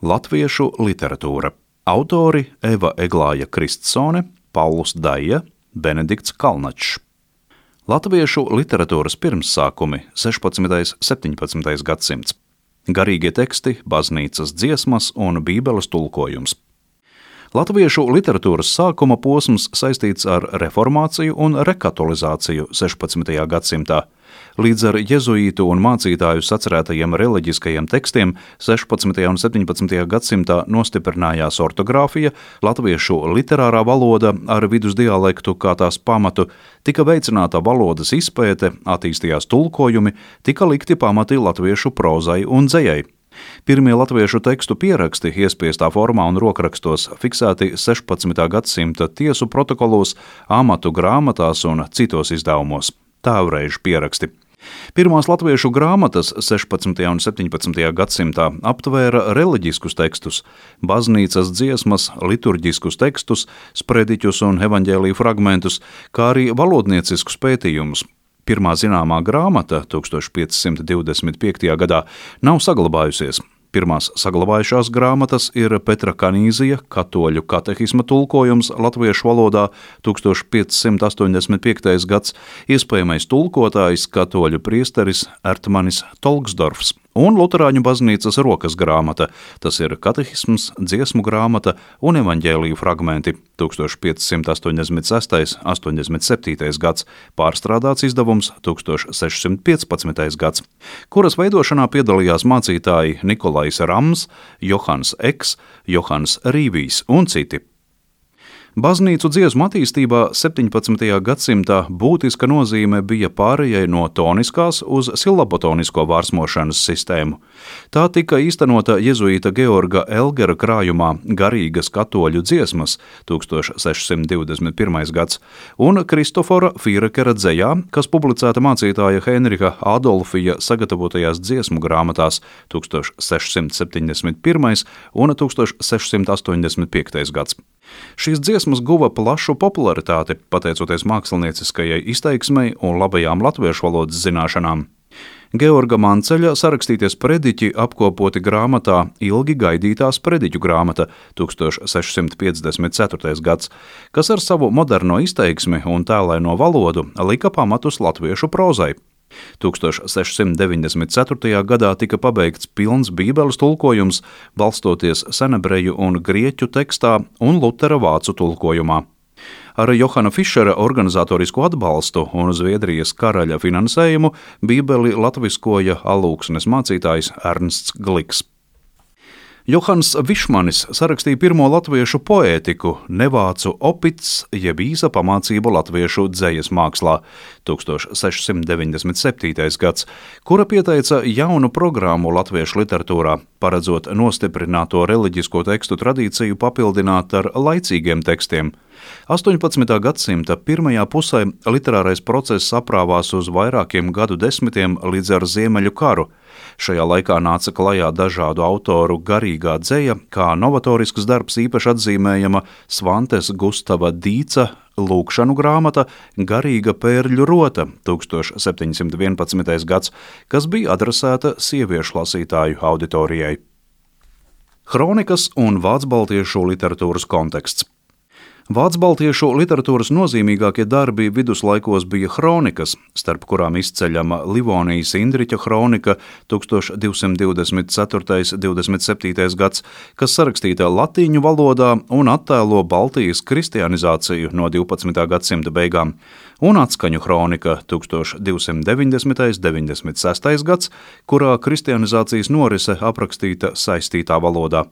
Latviešu literatūra. Autori Eva Eglāja Kristsone, Pauls Daija, Benedikts Kalnačs. Latviešu literatūras pirmsākumi 16. 17. gadsimts. Garīgie teksti, baznīcas dziesmas un bībeles tulkojums. Latviešu literatūras sākuma posms saistīts ar reformāciju un rekatolizāciju 16. gadsimtā. Līdz ar jezuītu un mācītāju sacerētajiem reliģiskajiem tekstiem 16. un 17. gadsimtā nostiprinājās ortogrāfija, latviešu literārā valoda ar vidusdialektu kā tās pamatu, tika veicināta valodas izpēte, attīstījās tulkojumi, tika likti pamati latviešu prozai un dzejai. Pirmie latviešu tekstu pieraksti iespiestā formā un rokrakstos fiksēti 16. gadsimta tiesu protokolos, amatu grāmatās un citos izdevumos. Tēvreižu pieraksti. Pirmās latviešu grāmatas 16. un 17. gadsimtā aptvēra reliģiskus tekstus, baznīcas dziesmas, liturģiskus tekstus, sprediķus un evaņģēliju fragmentus, kā arī valodnieciskus pētījumus. Pirmā zināmā grāmata 1525. gadā nav saglabājusies. Pirmās saglabājušās grāmatas ir Petra Kanīzija katoļu katehisma tulkojums latviešu valodā 1585. gads, iespējamais tulkotājs katoļu priesteris Ertmanis Tolksdorfs un luterāņu baznīcas rokas grāmata, tas ir katehisms, dziesmu grāmata un evaņģēliju fragmenti 1586. 87. gads, pārstrādāts izdevums 1615. gads, kuras veidošanā piedalījās mācītāji Nikolais Rams, Johans Eks, Johans Rīvijs un citi. Baznīcu dziesmu attīstībā 17. gadsimtā būtiska nozīme bija pārējai no toniskās uz silabotonisko vārsmošanas sistēmu. Tā tika īstenota jezuīta Georga Elgera krājumā Garīgas katoļu dziesmas 1621. gads un Kristofora Fīrekera dzejā, kas publicēta mācītāja Henriha Adolfija sagatavotajās dziesmu grāmatās 1671. un 1685. gads. Šīs dziesmas guva plašu popularitāti, pateicoties mākslinieciskajai izteiksmei un labajām latviešu valodas zināšanām. Georga Manceļa sarakstītie sprediķi apkopoti grāmatā Ilgi gaidītā sprediķu grāmata 1654. gads, kas ar savu moderno izteiksmi un tēlaino valodu lika pamatus latviešu prozai. 1694. gadā tika pabeigts pilns bībeles tulkojums, balstoties senebreju un grieķu tekstā un Lutera vācu tulkojumā. Ar Johana Fišera organizatorisku atbalstu un Zviedrijas karaļa finansējumu bībeli latviskoja alūksnes mācītājs Ernsts Gliks. Johans Višmanis sarakstīja pirmo latviešu poētiku Nevācu opits jeb īsa pamācību latviešu dzejas mākslā 1697. gads, kura pieteica jaunu programmu latviešu literatūrā, paredzot nostiprināto reliģisko tekstu tradīciju papildināt ar laicīgiem tekstiem. 18. gadsimta pirmajā pusē literārais process aprāvās uz vairākiem gadu desmitiem līdz ar Ziemeļu karu. Šajā laikā nāca klajā dažādu autoru garīgā dzeja, kā novatorisks darbs īpaši atzīmējama Svantes Gustava Dīca lūkšanu grāmata Garīga pērļu rota 1711. gads, kas bija adresēta sieviešu lasītāju auditorijai. Hronikas un vācbaltiešu literatūras konteksts. Vācbaltiešu literatūras nozīmīgākie darbi viduslaikos bija hronikas, starp kurām izceļama Livonijas Indriķa hronika 1224.–27. gads, kas sarakstīta latīņu valodā un attēlo Baltijas kristianizāciju no 12. gadsimta beigām, un atskaņu hronika 1290.–96. gads, kurā kristianizācijas norise aprakstīta saistītā valodā.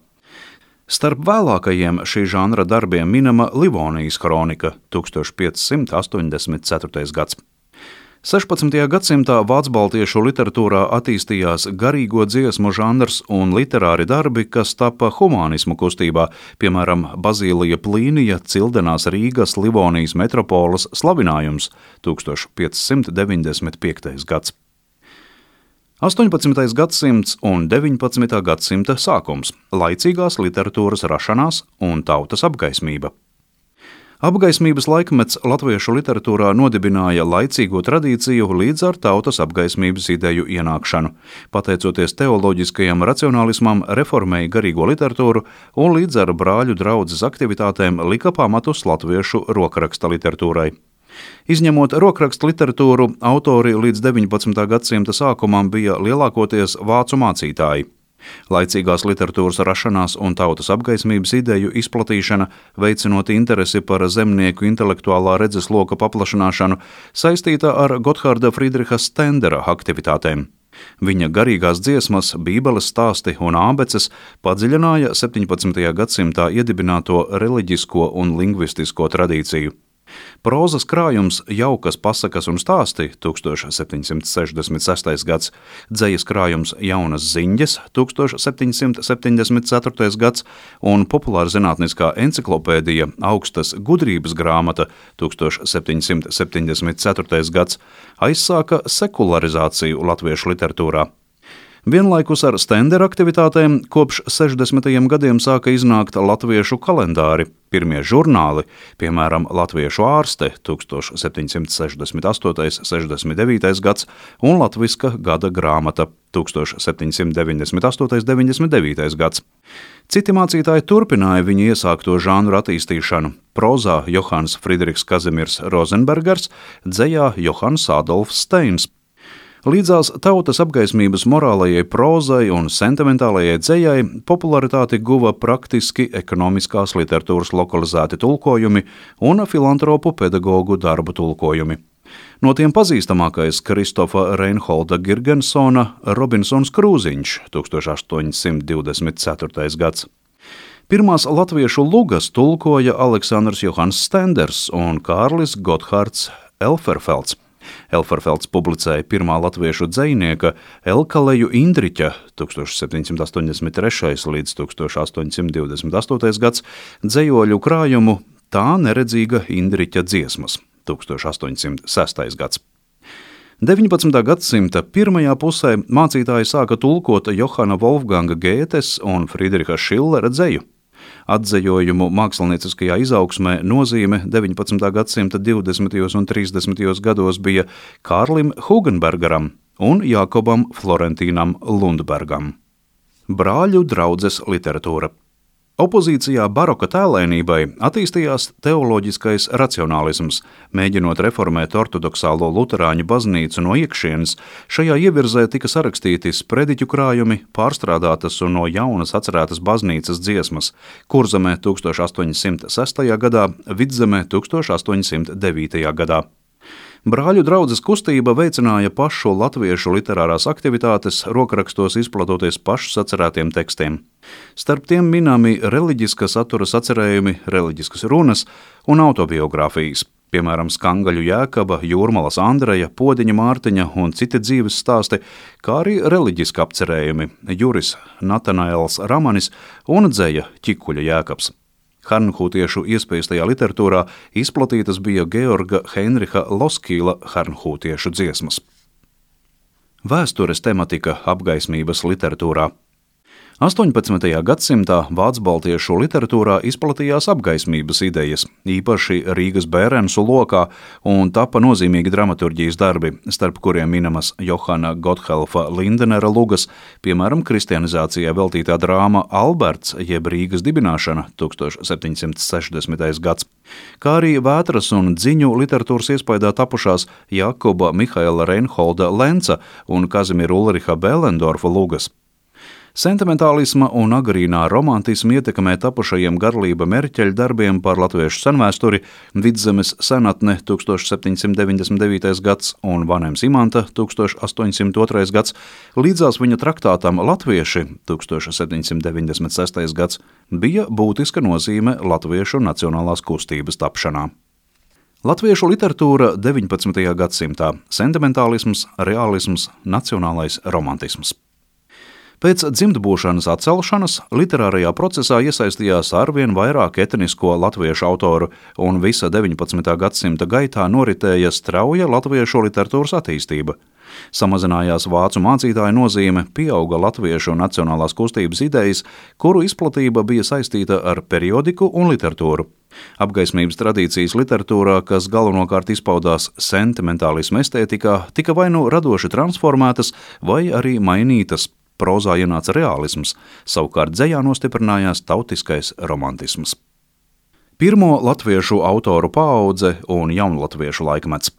Starp vēlākajiem šī žanra darbiem minama Livonijas hronika 1584. gads. 16. gadsimtā vācbaltiešu literatūrā attīstījās garīgo dziesmu žanrs un literāri darbi, kas tapa humānismu kustībā, piemēram, Bazīlija Plīnija Cildenās Rīgas Livonijas metropoles slavinājums 1595. gads. 18. gadsimts un 19. gadsimta sākums – laicīgās literatūras rašanās un tautas apgaismība. Apgaismības laikmets latviešu literatūrā nodibināja laicīgo tradīciju līdz ar tautas apgaismības ideju ienākšanu. Pateicoties teoloģiskajam racionālismam, reformēja garīgo literatūru un līdz ar brāļu draudzes aktivitātēm lika pamatus latviešu rokraksta literatūrai. Izņemot rokrakstu literatūru, autori līdz 19. gadsimta sākumam bija lielākoties vācu mācītāji. Laicīgās literatūras rašanās un tautas apgaismības ideju izplatīšana, veicinot interesi par zemnieku intelektuālā redzesloka paplašināšanu, saistīta ar Gotthārda Friedriha Stendera aktivitātēm. Viņa garīgās dziesmas, bībeles stāsti un ābeces padziļināja 17. gadsimtā iedibināto reliģisko un lingvistisko tradīciju. Prózas krājums Jaukas pasakas un stāsti 1766. gads, dzejas krājums Jaunas ziņģes 1774. gads un populārzinātniskā enciklopēdija Augstas gudrības grāmata 1774. gads aizsāka sekularizāciju latviešu literatūrā. Vienlaikus ar Stendera aktivitātēm kopš 60. gadiem sāka iznākt latviešu kalendāri, pirmie žurnāli, piemēram, Latviešu ārste 1768.69. gads un Latviska gada grāmata 1798.99. gads. Citi mācītāji turpināja viņu iesākto žanru attīstīšanu. Prozā Johans Friedrichs Kazimirs Rozenbergers, dzejā Johans Adolfs Steins. Līdzās tautas apgaismības morālajai prózai un sentimentālajai dzejai popularitāti guva praktiski ekonomiskās literatūras lokalizēti tulkojumi un filantropu pedagogu darbu tulkojumi. No tiem pazīstamākais Kristofa Reinholda Girgensona Robinsons Krūziņš 1824. gads. Pirmās latviešu lugas tulkoja Aleksandrs Johans Stenders un Kārlis Gotthārds Elferfelds. Elferfelds publicēja pirmā latviešu dzejnieka Elkaleju Indriķa 1783. līdz 1828. gads dzejoļu krājumu Tā neredzīga Indriķa dziesmas 1806. gads. 19. gadsimta pirmajā pusē mācītāji sāka tulkot Johana Wolfganga Gētes un Friedriha Šillera dzeju. Atdzejojumu mākslinieckajā izaugsmē nozīme 19. gadsimta 20. un 30. gados bija Kārlim Hugenbergeram un Jākobam Florentīnam Lundbergam. Brāļu draudzes literatūra. Opozīcijā baroka tēlēnībai attīstījās teoloģiskais racionālisms, mēģinot reformēt ortodoksālo luterāņu baznīcu no iekšienes. Šajā ievirzē tika sarakstīti sprediķu krājumi, pārstrādātas un no jaunas atcerētas baznīcas dziesmas, Kurzemē 1806. gadā, Vidzemē 1809. gadā. Brāļu draudzes kustība veicināja pašu latviešu literārās aktivitātes, rokrakstos izplatoties pašu sacerētiem tekstiem. Starp tiem minami reliģiska satura sacerējumi, reliģiskas runas un autobiogrāfijas, piemēram, Skangaļu Jēkaba, Jūrmalas Andreja, Podiņa Mārtiņa un citi dzīves stāsti, kā arī reliģiski apcerējumi Juris Natanaels Ramanis un dzeja Ķikuļa Jēkabs. Hernhūtiešu iespējastajā literatūrā izplatītas bija Georga Heinricha Loskīla hernhūtiešu dziesmas. Vēstures tematika apgaismības literatūrā. 18. gadsimtā vācbaltiešu literatūrā izplatījās apgaismības idejas, īpaši Rīgas Bērensu lokā, un tapa nozīmīgi dramaturģijas darbi, starp kuriem minamas Johana Gotthelfa Lindenera lugas, piemēram, kristianizācijā veltītā drāma Alberts jeb Rīgas dibināšana 1760. gads, kā arī Vētras un Dziņu literatūras iespaidā tapušās Jakoba Mihaela Reinholda Lenca un Kazimira Ulriha Bēlendorfa lugas. Sentimentālisma un agrīnā romantisma ietekmē tapušajiem Garlība Merķeļa darbiem par latviešu senvēsturi Vidzemes senatne 1799. gads un Vanems Imanta 1802. gads, līdzās viņa traktātam Latvieši 1796. gads bija būtiska nozīme latviešu nacionālās kustības tapšanā. Latviešu literatūra 19. gadsimtā – sentimentālisms, reālisms, nacionālais romantisms. Pēc dzimtbūšanas atcelšanas literārajā procesā iesaistījās arvien vairāk etnisko latviešu autoru, un visa 19. gadsimta gaitā noritēja strauja latviešu literatūras attīstība. Samazinājās vācu mācītāju nozīme, pieauga latviešu nacionālās kustības idejas, kuru izplatība bija saistīta ar periodiku un literatūru. Apgaismības tradīcijas literatūrā, kas galvenokārt izpaudās sentimentālisma estētikā, tika vai nu radoši transformētas, vai arī mainītas. Prozā ienāca reālisms, savukārt dzejā nostiprinājās tautiskais romantisms. Pirmo latviešu autoru paudze un jaunlatviešu laikmets.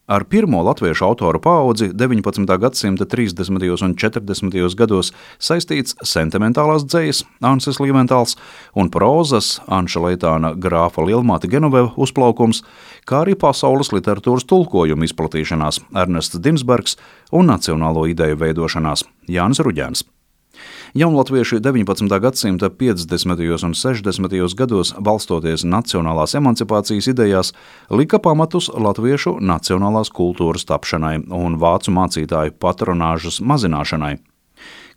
Ar pirmo latviešu autoru paudzi 19. gadsimta 30. un 40. gados saistīts sentimentālās dzejas Ansis Līventāls un prózas Anša Leitāna grāfa Lielmāte Genoveva uzplaukums, kā arī pasaules literatūras tulkojuma izplatīšanās Ernests Dinsbergs un nacionālo ideju veidošanās Jānis Ruģēns. Jaunlatvieši 19. gadsimta 50. un 60. gados, balstoties nacionālās emancipācijas idejās, lika pamatus latviešu nacionālās kultūras tapšanai un vācu mācītāju patronāžas mazināšanai.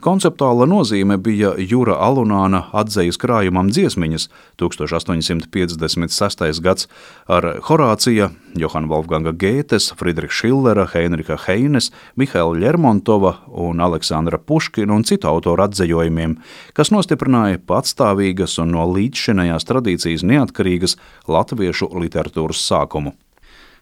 Konceptuāla nozīme bija Jura Alunāna atzejas krājumam Dziesmiņas 1856. gads ar Horācija, Johana Wolfganga Gētes, Friedricha Šillera, Heinricha Heines, Mihaila Lermontova un Aleksandra Puškina un citu autoru atzejojumiem, kas nostiprināja patstāvīgas un no līdzšinējās tradīcijas neatkarīgas latviešu literatūras sākumu.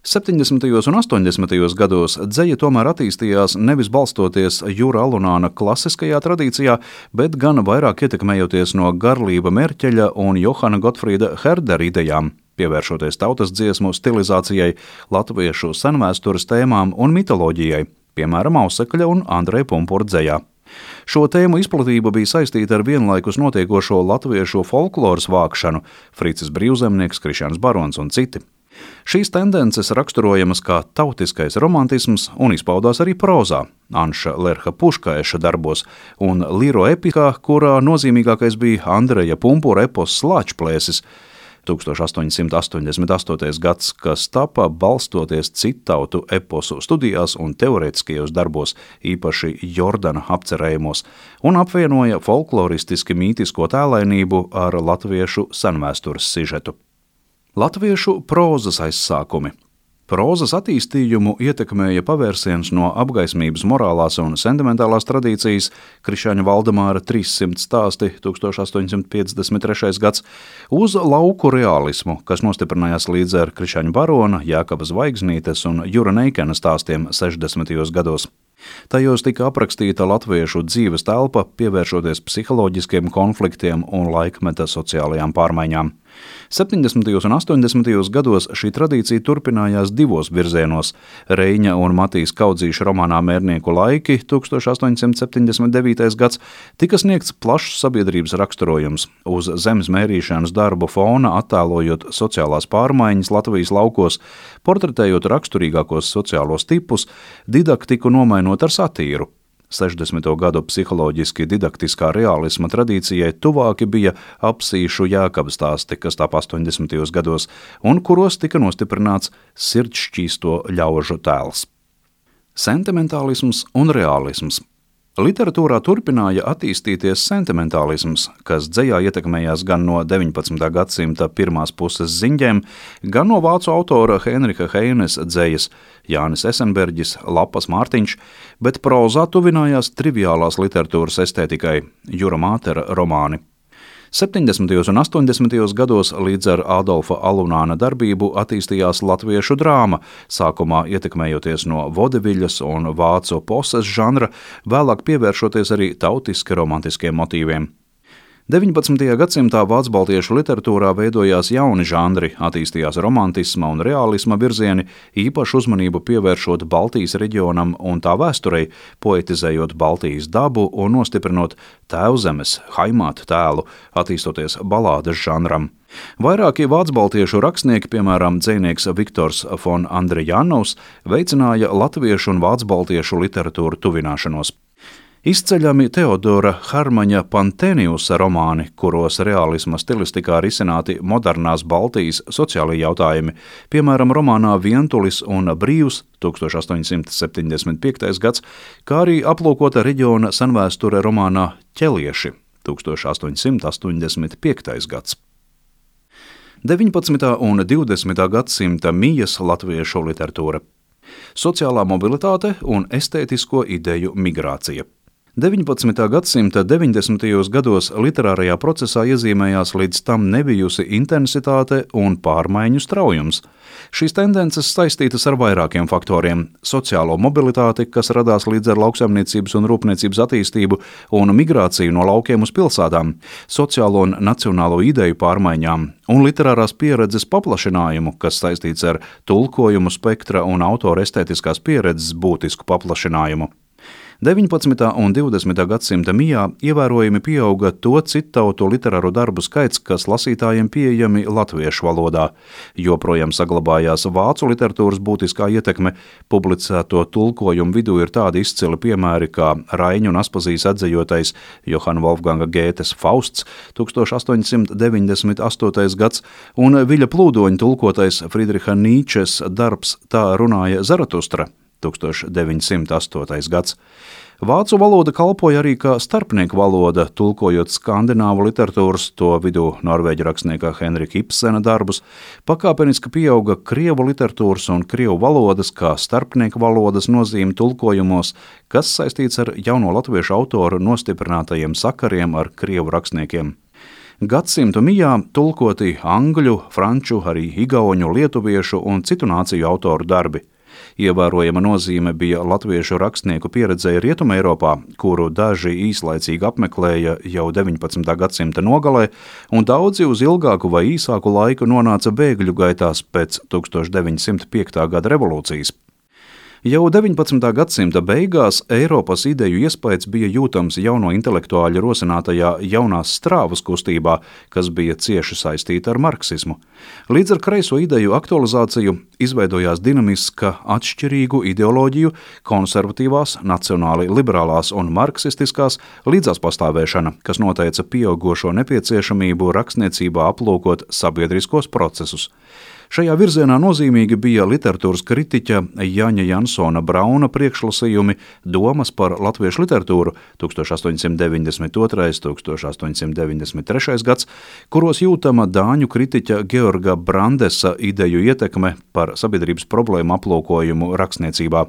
70. un 80. gados dzeja tomēr attīstījās nevis balstoties Jura Alunāna klasiskajā tradīcijā, bet gan vairāk ietekmējoties no Garlība Merķeļa un Johana Gotfrīda Herdera idejām, pievēršoties tautas dziesmu stilizācijai, latviešu senvēstures tēmām un mitoloģijai, piemēram, Ausekļa un Andreja Pumpura dzejā. Šo tēmu izplatība bija saistīta ar vienlaikus notiekošo latviešu folkloras vākšanu, Fricis Brīvzemnieks, Krišjāns Barons un citi. Šīs tendences raksturojamas kā tautiskais romantisms un izpaudās arī prózā, Anša Lerha Puškaeša darbos un Līro epikā, kurā nozīmīgākais bija Andreja Pumpura epos Slāčplēsis, 1888. gads, kas tapa balstoties cittautu eposu studijās un teorētiskajos darbos, īpaši Jordana apcerējumos, un apvienoja folkloristiski mītisko tēlainību ar latviešu senvēstures sižetu. Latviešu prózas aizsākumi. Prózas attīstījumu ietekmēja pavērsiens no apgaismības morālās un sentimentālās tradīcijas Krišāņa Valdemāra 300 stāsti 1853. gads uz lauku realismu, kas nostiprinājās līdz ar Krišāņa Barona, Jākaba Zvaigznītes un Jura Neikena stāstiem 60. gados. Tajos tika aprakstīta latviešu dzīves telpa, pievēršoties psiholoģiskiem konfliktiem un laikmeta sociālajām pārmaiņām. 70. un 80. gados šī tradīcija turpinājās divos virzienos. Reiņa un Matīs Kaudzīša romānā Mērnieku laiki 1879. gads tika sniegts plašs sabiedrības raksturojums, uz zemes mērīšanas darbu fona attēlojot sociālās pārmaiņas Latvijas laukos, portretējot raksturīgākos sociālos tipus, didaktiku nomainot ar satīru. 60. gadu psiholoģiski didaktiskā realisma tradīcijai tuvāki bija Apsīšu Jākaba stāsti, kas tapa 80. gados, un kuros tika nostiprināts sirdšķīsto ļaužu tēls. Sentimentālisms un realisms. Literatūrā turpināja attīstīties sentimentālisms, kas dzejā ietekmējās gan no 19. gadsimta pirmās puses ziņģēm, gan no vācu autora Heinricha Heines dzejas, Jānis Esenberģis, Lapas Mārtiņš, bet prózā tuvinājās triviālās literatūras estētikai, Jura Mātera romāni. 70. un 80. gados līdz ar Adolfa Alunāna darbību attīstījās latviešu drāma, sākumā ietekmējoties no vodeviļas un vācu poses žanra, vēlāk pievēršoties arī tautiski romantiskiem motīviem. 19. gadsimtā vācu-baltiešu literatūrā veidojās jauni žanri, attīstījās romantisma un realisma virzieni, īpašu uzmanību pievēršot Baltijas reģionam un tā vēsturei, poetizējot Baltijas dabu un nostiprinot tēvzemes, haimātu tēlu, attīstoties balādes žanram. Vairākie vācu-baltiešu rakstnieki, piemēram, dzejnieks Viktors von Andrejanovs, veicināja latviešu un vācu-baltiešu literatūru tuvināšanos. Izceļami Teodora Harmaņa Panteniusa romāni, kuros realisma stilistikā risināti modernās Baltijas sociālie jautājumi, piemēram, romānā Vientulis un brīvs 1875. gads, kā arī aplūkota reģiona senvēsture romānā Ķelieši 1885. gads. 19. un 20. gadsimta mijas latviešu literatūra. Sociālā mobilitāte un estētisko ideju migrācija. 19. gadsimta 90. gados literārajā procesā iezīmējās līdz tam nebijusi intensitāte un pārmaiņu straujums. Šīs tendences saistītas ar vairākiem faktoriem – sociālo mobilitāti, kas radās līdz ar lauksaimniecības un rūpniecības attīstību un migrāciju no laukiem uz pilsētām, sociālo un nacionālo ideju pārmaiņām un literārās pieredzes paplašinājumu, kas saistīts ar tulkojumu spektra un autora estētiskās pieredzes būtisku paplašinājumu. 19. un 20. gadsimta mijā ievērojami pieauga to citautu literāru darbu skaits, kas lasītājiem pieejami latviešu valodā. Joprojām saglabājās vācu literatūras būtiskā ietekme, publicēto tulkojumu vidū ir tādi izcili piemēri kā Raiņu un Aspazijas atzejotais Johana Wolfganga Gētes Fausts 1898. gads un Viļa Plūdoņa tulkotais Friedriha Nīčes darbs Tā runāja Zaratustra 1908. gads. Vācu valoda kalpoja arī kā starpnieku valoda, tulkojot skandināvu literatūras, to vidū norvēģu rakstnieka Henrika Ibsena darbus, pakāpeniski pieauga krievu literatūras un krievu valodas kā starpnieku valodas nozīme tulkojumos, kas saistīts ar jauno latviešu autoru nostiprinātajiem sakariem ar krievu rakstniekiem. Gadsimtu mijā tulkoti angļu, franču, arī igauņu, lietuviešu un citu nāciju autoru darbi. Ievērojama nozīme bija latviešu rakstnieku pieredzēja Rietumē Eiropā, kuru daži īslaicīgi apmeklēja jau 19. gadsimta nogalē, un daudzi uz ilgāku vai īsāku laiku nonāca bēgļu gaitās pēc 1905. gada revolūcijas. Jau 19. gadsimta beigās Eiropas ideju iespējas bija jūtams jauno intelektuāļu rosinātajā jaunās strāvas kustībā, kas bija cieši saistīta ar marksismu. Līdz ar kreiso ideju aktualizāciju izveidojās dinamiska atšķirīgu ideoloģiju, konservatīvās, nacionāli liberālās un marksistiskās līdzās pastāvēšana, kas noteica pieaugošo nepieciešamību rakstniecībā aplūkot sabiedriskos procesus. Šajā virzienā nozīmīgi bija literatūras kritiķa Jaņa Jansona Brauna priekšlasījumi Domas par latviešu literatūru 1892.–1893. gads, kuros jūtama dāņu kritiķa Georga Brandesa ideju ietekme par sabiedrības problēmu aplūkojumu rakstniecībā.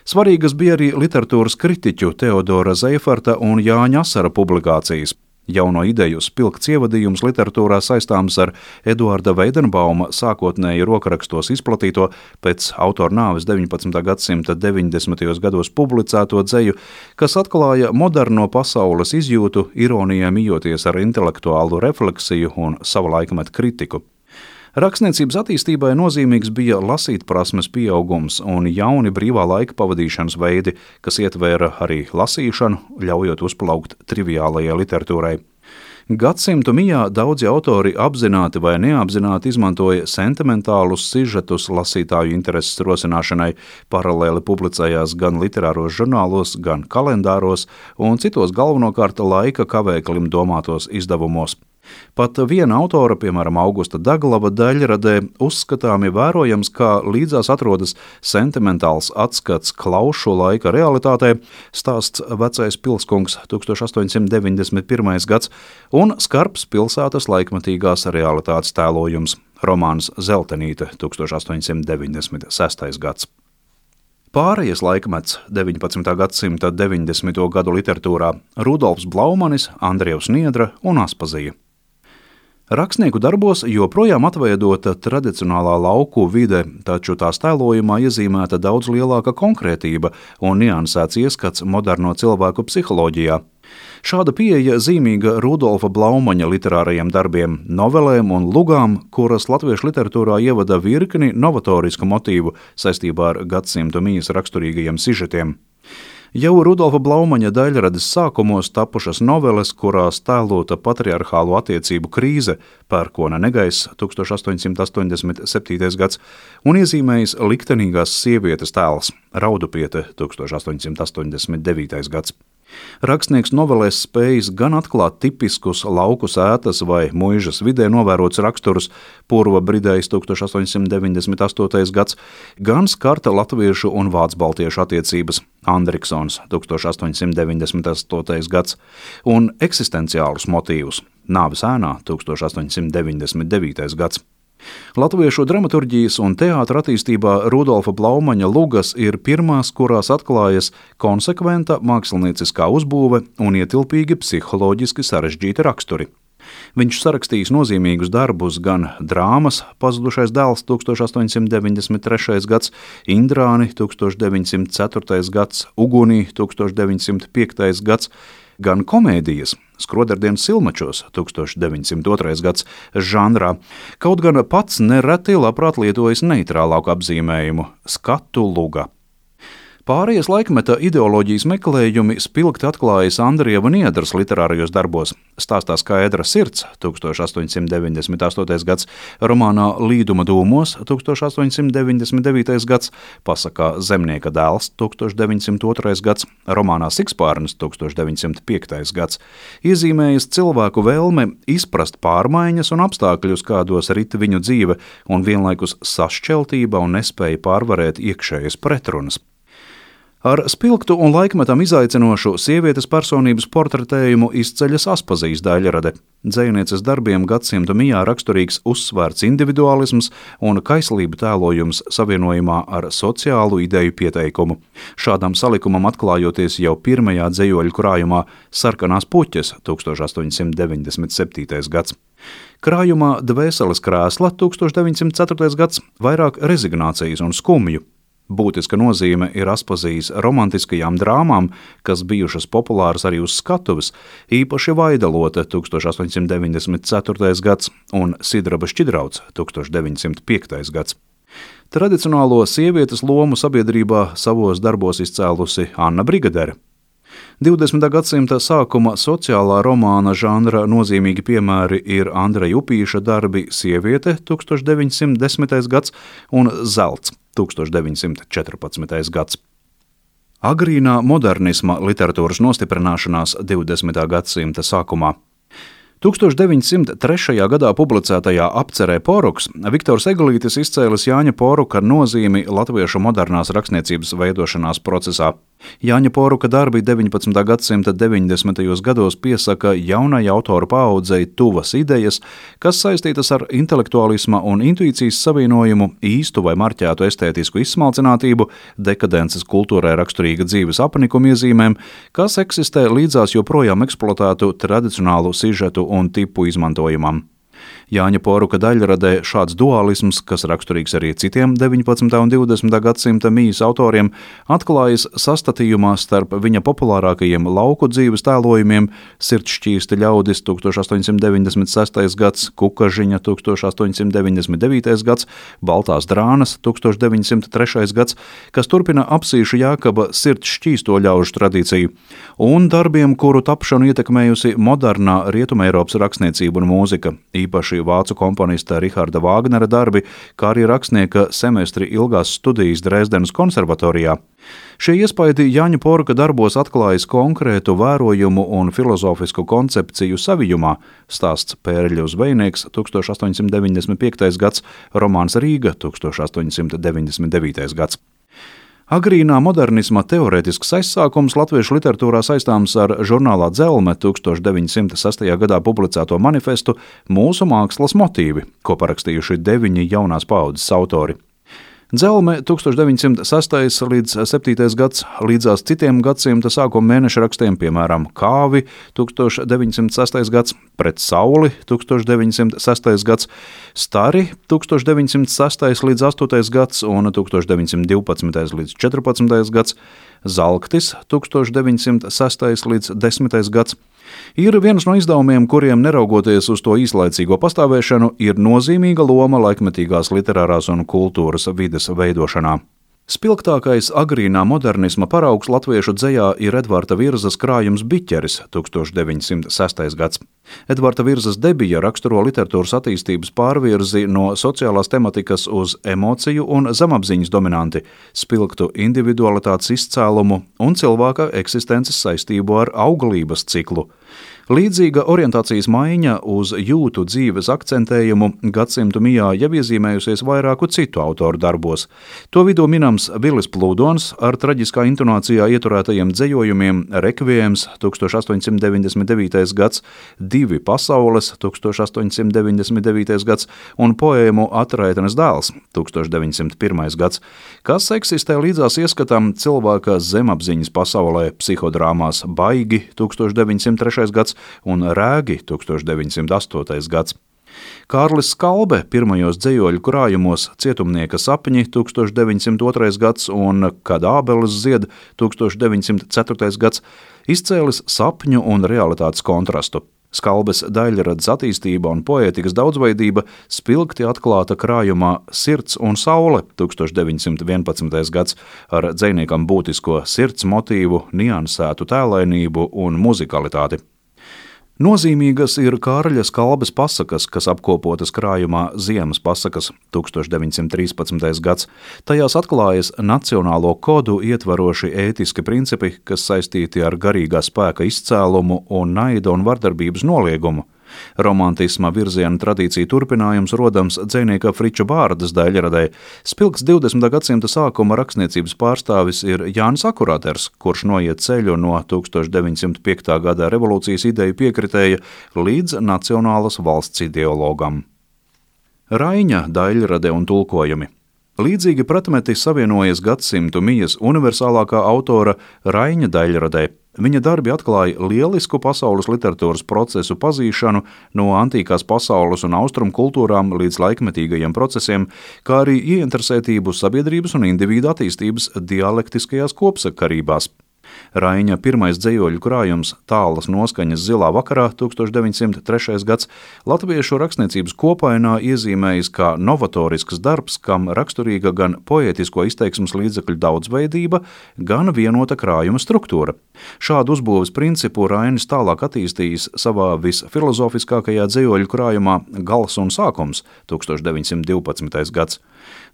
Svarīgas bija arī literatūras kritiķu Teodora Zeiferta un Jāņa Asara publikācijas. Jauno ideju spilgts ievadījums literatūrā saistāms ar Eduarda Veidenbauma sākotnēji rokrakstos izplatīto, pēc autora nāves 19. gadsimta 90. gados publicēto dzeju, kas atklāja moderno pasaules izjūtu, ironijai mijoties ar intelektuālu refleksiju un sava laikmeta kritiku. Rakstniecības attīstībai nozīmīgs bija lasītprasmes pieaugums un jauni brīvā laika pavadīšanas veidi, kas ietvēra arī lasīšanu, ļaujot uzplaukt triviālajai literatūrai. Gadsimtu mijā daudzi autori apzināti vai neapzināti izmantoja sentimentālus sižetus lasītāju intereses rosināšanai, paralēli publicējās gan literāros žurnālos, gan kalendāros un citos galvenokārt laika kavēklim domātos izdevumos. Pat viena autora, piemēram, Augusta Daglava daļradē, uzskatāmi vērojams, kā līdzās atrodas sentimentāls atskats klaušu laika realitātē, stāsts Vecais pilskungs 1891. gads un skarbs pilsētas laikmetīgās realitātes tēlojums, romāns Zeltenīte 1896. gads. Pārējas laikmets 19. gadsimta 90. gadu literatūrā Rudolfs Blaumanis, Andrievs Niedra un Aspazija. Rakstnieku darbos joprojām atveidota tradicionālā lauku vide, taču tās tēlojumā iezīmēta daudz lielāka konkrētība un niansēts ieskats moderno cilvēku psiholoģijā. Šāda pieeja zīmīga Rudolfa Blaumaņa literārajiem darbiem, novelēm un lugām, kuras latviešu literatūrā ievada virkni novatorisku motīvu saistībā ar gadsimtu mijas raksturīgajiem sižetiem. Jau Rudolfa Blaumaņa daļrades sākumos tapušas noveles, kurās tēlota patriarchālu attiecību krīze, Pērkona negaiss 1887. gads un iezīmējis liktenīgās sievietes tēls, Raudupiete 1889. gads. Rakstnieks novelēs spējis gan atklāt tipiskus lauku sētas vai muižas vidē novērots raksturus, Purva Bridējs 1898. gads, gan skarta latviešu un vācu-baltiešu attiecības, Andriksons 1898. gads, un eksistenciālus motīvus, Nāves ēnā 1899. gads. Latviešu dramaturģijas un teātra attīstībā Rudolfa Blaumaņa lugas ir pirmās, kurās atklājas konsekventa mākslinieciskā uzbūve un ietilpīgi psiholoģiski sarežģīti raksturi. Viņš sarakstījis nozīmīgus darbus gan drāmas Pazudušais dēls 1893. gads, Indrāni 1904. gads, Ugunī 1905. gads, gan komēdijas Skroderdienas Silmačos 1902. gads žanrā, kaut gan pats nereti labprāt lietojas neitrālāku apzīmējumu – skatu luga. Pārējais laikmeta ideoloģijas meklējumi spilgti atklājas Andrieva Niedras literārajos darbos. Stāstā Skaidra sirds 1898. gads, romānā Līduma dūmos 1899. gads, pasakā Zemnieka dēls 1902. gads, romānā Sikspārnis 1905. gads, iezīmējas cilvēku vēlme izprast pārmaiņas un apstākļus, kādos rit viņu dzīve, un vienlaikus sašķeltība un nespēja pārvarēt iekšējas pretrunas. Ar spilgtu un laikmetam izaicinošu sievietes personības portretējumu izceļas Aspazijas daļrade. Dzejnieces darbiem gadsimtu mijā raksturīgs uzsvērts individuālisms un kaislība tēlojums savienojumā ar sociālu ideju pieteikumu. Šādam salikumam atklājoties jau pirmajā dzejoļu krājumā Sarkanās puķes 1897. gads. Krājumā Dvēseles krēsla 1904. gads vairāk rezignācijas un skumju. Būtiska nozīme ir Aspazijas romantiskajām drāmām, kas bijušas populāras arī uz skatuves, īpaši Vaidalote 1894. gads un Sidraba šķidrauts 1905. gads. Tradicionālo sievietes lomu sabiedrībā savos darbos izcēlusi Anna Brigadere. 20. gadsimta sākuma sociālā romāna žanra nozīmīgi piemēri ir Andreja Upīša darbi Sieviete 1910. gads un Zelts 1914. gads. Agrīnā modernisma literatūras nostiprināšanās 20. gadsimta sākumā. 1903. gadā publicētajā apcerē Poruks Viktors Eglītis izcēlis Jāņa Poruka nozīmi latviešu modernās rakstniecības veidošanās procesā. Jāņa Poruka darbi 19. gadsimta 90. gados piesaka jaunai autoru paaudzei tuvas idejas, kas saistītas ar intelektuālisma un intuīcijas savienojumu, īstu vai marķētu estētisku izsmalcinātību, dekadences kultūrai raksturīga dzīves apnikuma iezīmēm, kas eksistē līdzās joprojām eksploatētu tradicionālu sižetu un tipu izmantojumam. Jāņa Poruka daļradē šāds dualisms, kas raksturīgs arī citiem 19. un 20. gadsimta mijas autoriem, atklājas sastatījumā starp viņa populārākajiem lauku dzīves tēlojumiem Sirdsšķīsti ļaudis 1896. gads, Kukažiņa 1899. gads, Baltās drānas 1903. gads, kas turpina Apsīša Jākaba sirdsšķīsto ļaužu tradīciju, un darbiem, kuru tapšanu ietekmējusi modernā Rietumeiropas rakstniecība un mūzika, īpaši vācu komponista Riharda Vāgnera darbi, kā arī rakstnieka semestri ilgās studijas Dresdenas konservatorijā. Šie iespaidi Jāņa Poruka darbos atklājas konkrētu vērojumu un filozofisku koncepciju savijumā, stāsts Pērļu zvejnieks 1895. gads, romāns Rīga 1899. gads. Agrīnā modernisma teorētisks aizsākums latviešu literatūrā saistāms ar žurnālā Dzelme 1906. gadā publicēto manifestu Mūsu mākslas motīvi, ko parakstījuši 9 jaunās paaudzes autori. Dzelme 1906. līdz 7. gads, līdzās citiem gadsimta sākuma mēneša rakstiem, piemēram, Kāvi 1906. gads, Pret sauli 1906. gads, Stari 1906. līdz 8. gads un 1912. līdz 14. gads, Zalktis 1906. līdz 10. gads, ir viens no izdevumiem, kuriem, neraugoties uz to īslaicīgo pastāvēšanu, ir nozīmīga loma laikmetīgās literārās un kultūras vides veidošanā. Spilgtākais agrīnā modernisma paraugs latviešu dzejā ir Edvarda Virzas krājums Biķeris 1906. gads. Edvarda Virzas debija raksturo literatūras attīstības pārvirzi no sociālās tematikas uz emociju un zemapziņas dominanti, spilgtu individualitātes izcēlumu un cilvēka eksistences saistību ar auglības ciklu. Līdzīga orientācijas maiņa uz jūtu dzīves akcentējumu gadsimtu mijā jau iezīmējusies vairāku citu autoru darbos. To vidū minams Vilis Plūdons ar traģiskā intonācijā ieturētajiem dzejojumiem Rekviems 1899. gads, Divi pasaules 1899. gads un poēmu Atraitenes dēls 1901. gads, kas eksistē līdzās ieskatam cilvēka zemapziņas pasaulē psihodrāmās Baigi 1903. gads un Rēgi 1908. gads. Kārlis Skalbe pirmajos dzejoļu krājumos Cietumnieka sapņi 1902. gads un Kad ābeles zied 1904. gads izcēlis sapņu un realitātes kontrastu. Skalbes daļradas attīstība un poētikas daudzveidība spilgti atklāta krājumā Sirds un saule 1911. gads ar dzejniekam būtisko sirds motīvu, niansētu tēlainību un muzikalitāti. Nozīmīgas ir Kārļa Skalbes pasakas, kas apkopotas krājumā Ziemas pasakas 1913. gads. Tajās atklājas nacionālo kodu ietvaroši ētiski principi, kas saistīti ar garīgā spēka izcēlumu un naida un vardarbības noliegumu. Romantisma virziena tradīcija turpinājums rodams dzejnieka Friča Bārdas daļradē. Spilgts 20. gadsimta sākuma rakstniecības pārstāvis ir Jānis Akurāters, kurš noiet ceļu no 1905. gada revolūcijas ideju piekritēja līdz nacionālas valsts ideologam. Raiņa daļrade un tulkojumi. Līdzīgi pretmeti savienojas gadsimtu mijas universālākā autora Raiņa daļradē. Viņa darbi atklāja lielisku pasaules literatūras procesu pazīšanu no antīkās pasaules un austrumu kultūrām līdz laikmetīgajiem procesiem, kā arī ieinteresētību sabiedrības un individu attīstības dialektiskajās kopsakarībās. Raiņa pirmais dzejoļu krājums Tālas noskaņas zilā vakarā 1903. gads latviešu rakstniecības kopainā iezīmējis kā novatorisks darbs, kam raksturīga gan poētisko izteiksmes līdzekļu daudzveidība, gan vienota krājuma struktūra. Šādu uzbūves principu Rainis tālāk attīstījis savā visfilozofiskākajā dzejoļu krājumā Gals un sākums 1912. gads.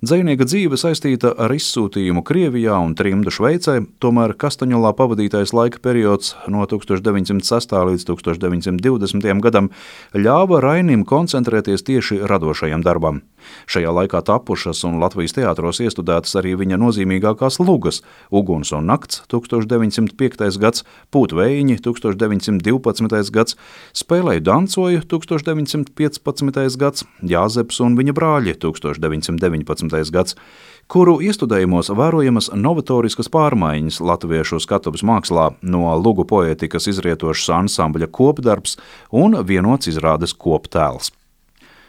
Dzejnieka dzīve saistīta ar izsūtījumu Krievijā un trimdu Šveicē, tomēr Kastaņolā pavadītais laika periods no 1906. līdz 1920. gadam ļāva Rainim koncentrēties tieši radošajam darbam. Šajā laikā tapušas un Latvijas teātros iestudētas arī viņa nozīmīgākās lugas Uguns un nakts 1905. gads, Pūtvējiņi 1912. gads, Spēlēju dancoju 1915. gads, Jāzeps un viņa brāļi 1919. gads, kuru iestudējumos vērojamas novatoriskas pārmaiņas latviešu skatuves mākslā, no lugu poētikas izrietošs ansambļa kopdarbs un vienots izrādes koptēls.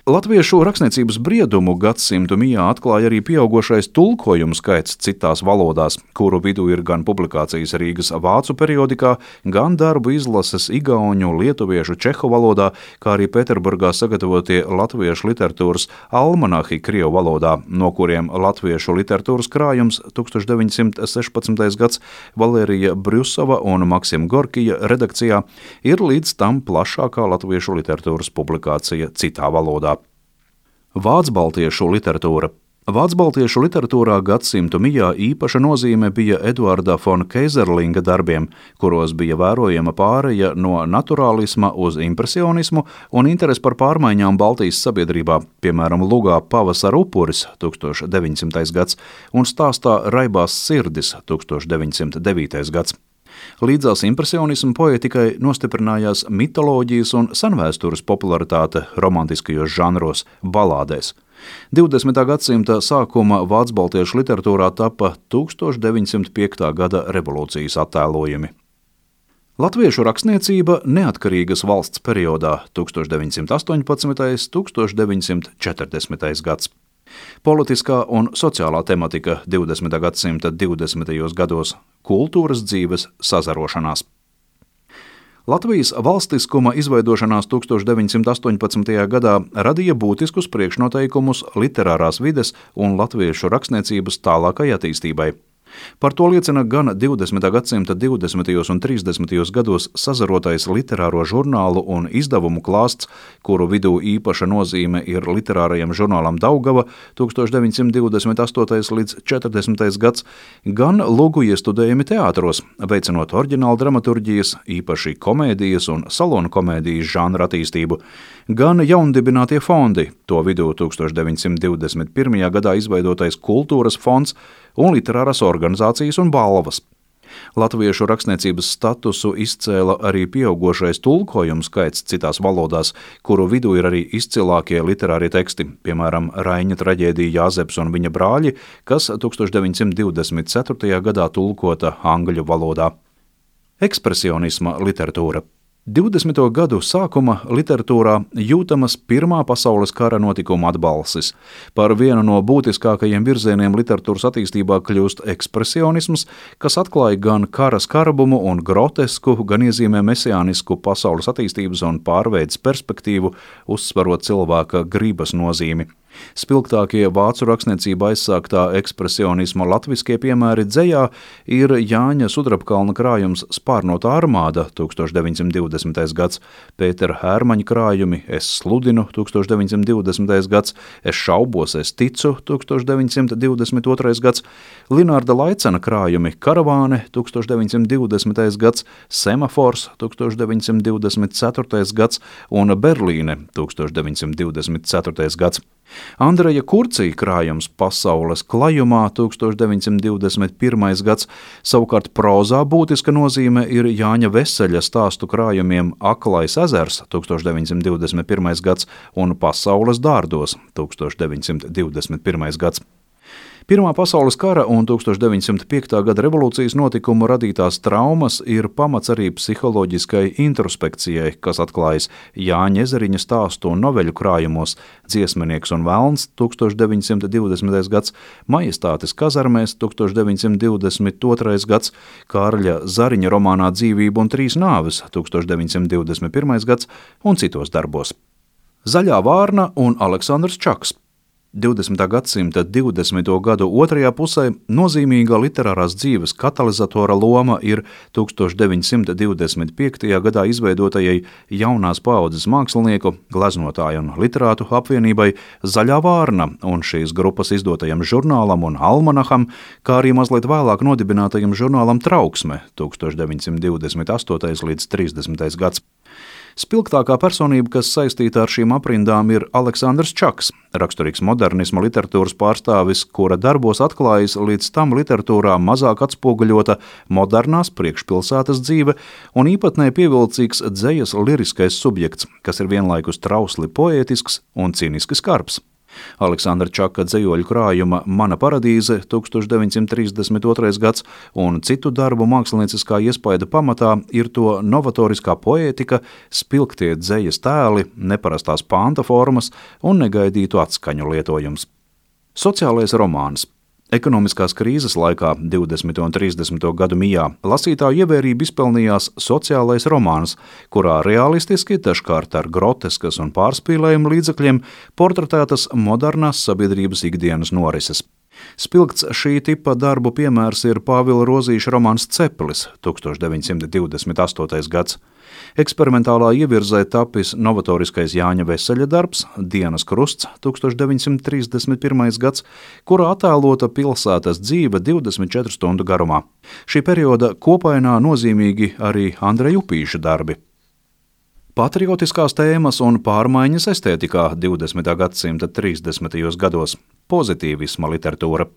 Latviešu rakstniecības briedumu gadsimtu mijā atklāja arī pieaugošais tulkojumu skaits citās valodās, kuru vidū ir gan publikācijas Rīgas vācu periodikā, gan darbu izlases igauņu, lietuviešu, čehu valodā, kā arī Pēterburgā sagatavotie latviešu literatūras almanahi krievu valodā, no kuriem latviešu literatūras krājums 1916. gads Valērija Brjusova un Maksima Gorkija redakcijā ir līdz tam plašākā latviešu literatūras publikācija citā valodā. Vācbaltiešu literatūra. Vācbaltiešu literatūrā gadsimtu mijā īpaša nozīme bija Eduarda fon Keizerlinga darbiem, kuros bija vērojama pāreja no naturālisma uz impresionismu un interesi par pārmaiņām Baltijas sabiedrībā, piemēram, lugā Pavasara upuris 1900. gads un stāstā Raibās sirdis 1909. gads. Līdzās impresionismu poētikai nostiprinājās mitoloģijas un senvēstures popularitāte romantiskajos žanros, balādēs. 20. gadsimta sākuma vācbaltiešu literatūrā tapa 1905. gada revolūcijas attēlojumi. Latviešu rakstniecība neatkarīgas valsts periodā 1918. 1940. gads. Politiskā un sociālā tematika 20. gadsimta 20. gados, kultūras dzīves sazarošanās. Latvijas valstiskuma izveidošanās 1918. gadā radīja būtiskus priekšnoteikumus literārās vides un latviešu rakstniecības tālākai attīstībai. Par to liecina gan 20. gadsimta 20. un 30. gados sazarotais literāro žurnālu un izdevumu klāsts, kuru vidū īpaša nozīme ir literārajam žurnālam Daugava 1928. līdz 40. gads, gan lugu iestudējumi teātros, veicinot oriģinālu dramaturģijas, īpaši komēdijas un salonu komēdijas žanra attīstību, gan jaundibinātie fondi, to vidū 1921. gadā izveidotais Kultūras fonds un literārās organizācijas un balvas. Latviešu rakstniecības statusu izcēla arī pieaugošais tulkojumu skaits citās valodās, kuru vidū ir arī izcilākie literārie teksti, piemēram, Raiņa traģēdija Jāzeps un viņa brāļi, kas 1924. gadā tulkota angļu valodā. Ekspresionisma literatūra. 20. gadu sākuma literatūrā jūtamas Pirmā pasaules kara notikuma atbalsis. Par vienu no būtiskākajiem virzieniem literatūras attīstībā kļūst ekspresionisms, kas atklāja gan kara skarbumu un grotesku, gan iezīmē mesiānisku pasaules attīstības un pārveides perspektīvu, uzsverot cilvēka gribas nozīmi. Spilgtākie vācu rakstniecībā aizsāktā ekspresionisma latviskie piemēri dzejā ir Jāņa Sudrabkalna krājums Spārnota armāda 1920. gads, Pētera Hērmaņa krājumi Es sludinu 1920. gads, Es šaubos, es ticu 1922. gads, Linārda Laicena krājumi Karavāne 1920. gads, Semafors 1924. gads un Berlīne 1924. gads. Andreja Kurcija krājums Pasaules klajumā 1921. gads, savukārt prozā būtiska nozīme ir Jāņa Veseļa stāstu krājumiem Aklais ezers 1921. gads un Pasaules dārdos 1921. gads. Pirmā pasaules kara un 1905. gada revolūcijas notikumu radītās traumas ir pamats arī psiholoģiskai introspekcijai, kas atklājas Jāņa Ezeriņa stāstu un noveļu krājumos Dziesminieks un velns 1920. gads, Majestātes kazarmēs 1922. gads, Kārļa Zariņa romānā Dzīvība un trīs nāves 1921. gads un citos darbos. Zaļā vārna un Aleksandrs Čaks. 20. gadsimta 20. gadu otrajā pusē nozīmīga literārās dzīves katalizatora loma ir 1925. gadā izveidotajai jaunās paaudzes mākslinieku, gleznotāju un literātu apvienībai Zaļā vārna un šīs grupas izdotajam žurnālam un almanaham, kā arī mazliet vēlāk nodibinātajam žurnālam Trauksme 1928. līdz 30. gads. Spilgtākā personība, kas saistīta ar šīm aprindām, ir Aleksandrs Čaks, raksturīgs modernisma literatūras pārstāvis, kura darbos atklājas līdz tam literatūrā mazāk atspoguļota modernās priekšpilsētas dzīve un īpatnē pievilcīgs dzejas liriskais subjekts, kas ir vienlaikus trausli poētisks un cīniski skarbs. Aleksandra Čaka dzejoļu krājuma Mana paradīze 1932. gads un citu darbu mākslinieciskā iespaida pamatā ir to novatoriskā poētika, spilgtie dzejas tēli, neparastās panta formas un negaidītu atskaņu lietojums. Sociālais romāns. Ekonomiskās krīzes laikā 20. un 30. gadu mijā lasītāju ievērību izpelnījās sociālais romāns, kurā realistiski, dažkārt ar groteskas un pārspīlējumu līdzekļiem, portretētas modernās sabiedrības ikdienas norises. Spilgts šī tipa darbu piemērs ir Pāvila Rozīša romāns Ceplis 1928. gads. Eksperimentālā ievirzē tapis novatoriskais Jāņa Veseļa darbs Dienas krusts 1931. gads, kurā attēlota pilsētas dzīve 24 stundu garumā. Šī perioda kopainā nozīmīgi arī Andreja Upīša darbi. Patriotiskās tēmas un pārmaiņas estētikā 20. gadsimta 30. gados. Pozitīvisma literatūra.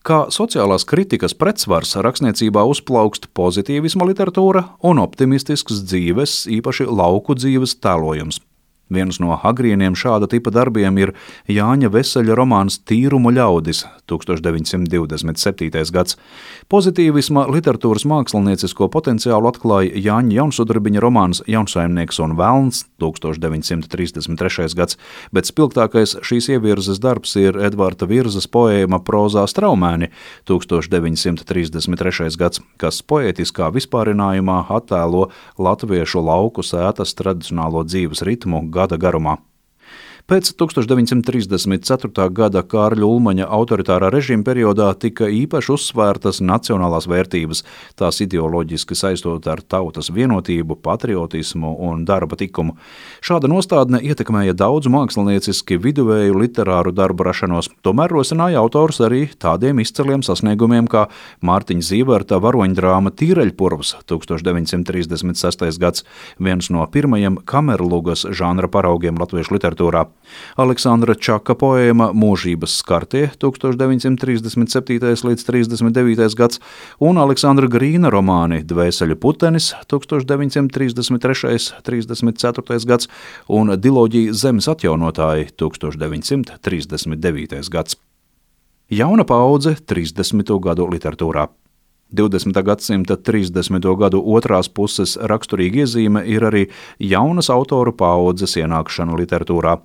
Kā sociālās kritikas pretsvars rakstniecībā uzplaukst pozitīvisma literatūra un optimistisks dzīves, īpaši lauku dzīves tēlojums. Viens no agrīniem šāda tipa darbiem ir Jāņa Veseļa romāns Tīrumu ļaudis 1927. gads. Pozitīvisma literatūras māksliniecisko potenciālu atklāja Jāņa Jaunsudrabiņa romāns Jaunsaimnieks un velns 1933. gads, bet spilgtākais šīs ievirzes darbs ir Edvarda Virzas poēma Prozā straumēni 1933. gads, kas poētiskā vispārinājumā attēlo latviešu lauku sētas tradicionālo dzīves ritmu gada garumā. Pēc 1934. gada Kārļa Ulmaņa autoritārā režīma periodā tika īpaši uzsvērtas nacionālās vērtības, tās ideoloģiski saistot ar tautas vienotību, patriotismu un darba tikumu. Šāda nostādne ietekmēja daudzu mākslinieciski viduvēju literāru darbu rašanos, tomēr rosināja autors arī tādiem izciliem sasniegumiem kā Mārtiņa Zīverta varoņdrāma Tīreļpurvs 1936. gads, viens no pirmajiem kamerlugas žanra paraugiem latviešu literatūrā. Aleksandra Čaka poēma Mūžības skartie 1937. līdz 39. gads un Aleksandra Grīna romāni Dvēseļu putenis 1933. 34. gads un Diloģija Zemes atjaunotāji 1939. gads. Jauna paudze 30. gadu literatūrā. 20. gadsimta 30. gadu otrās puses raksturīga iezīme ir arī jaunas autoru paudzes ienākšana literatūrā.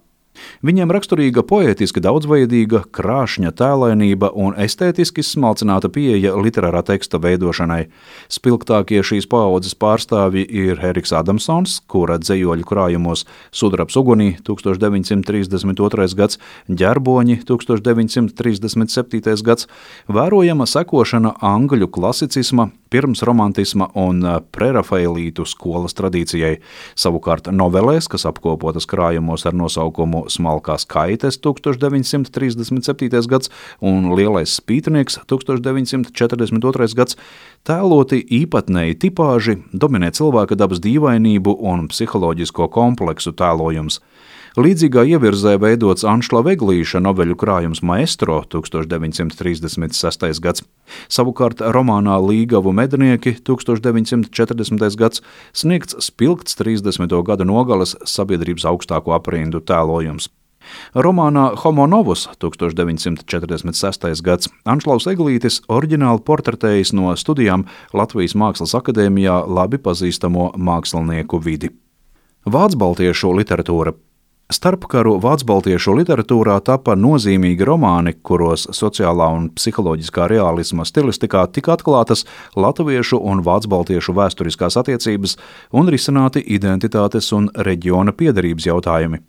Viņiem raksturīga poētiski daudzveidīga, krāšņa tēlainība un estētiski smalcināta pieeja literārā teksta veidošanai. Spilgtākie šīs paaudzes pārstāvji ir Eriks Adamsons, kura dzejoļu krājumos Sudrabs ugunī 1932. gads, Ģerboņi 1937. gads, vērojama sekošana angļu klasicisma, pirmsromantisma un prerafaelītu skolas tradīcijai. Savukārt novelēs, kas apkopotas krājumos ar nosaukumu Smalkās kaites 1937. gads un Lielais spītnieks 1942. gads, tēloti īpatnēji tipāži, dominē cilvēka dabas dīvainību un psiholoģisko kompleksu tēlojums. Līdzīgā ievirzē veidots Anšla Veglīša noveļu krājums Maestro 1936. gads. Savukārt romānā Līgavu mednieki 1940. gads sniegts spilgts 30. gada nogales sabiedrības augstāko aprindu tēlojums. Romānā Homo novus 1946. gads Anšlaus Eglītis oriģināli portretējis no studijām Latvijas Mākslas akadēmijā labi pazīstamo mākslinieku vidi. Vācbaltiešu literatūra. Starpkaru vācbaltiešu literatūrā tapa nozīmīgi romāni, kuros sociālā un psiholoģiskā realisma stilistikā tika atklātas latviešu un vācbaltiešu vēsturiskās attiecības un risināti identitātes un reģiona piederības jautājumi.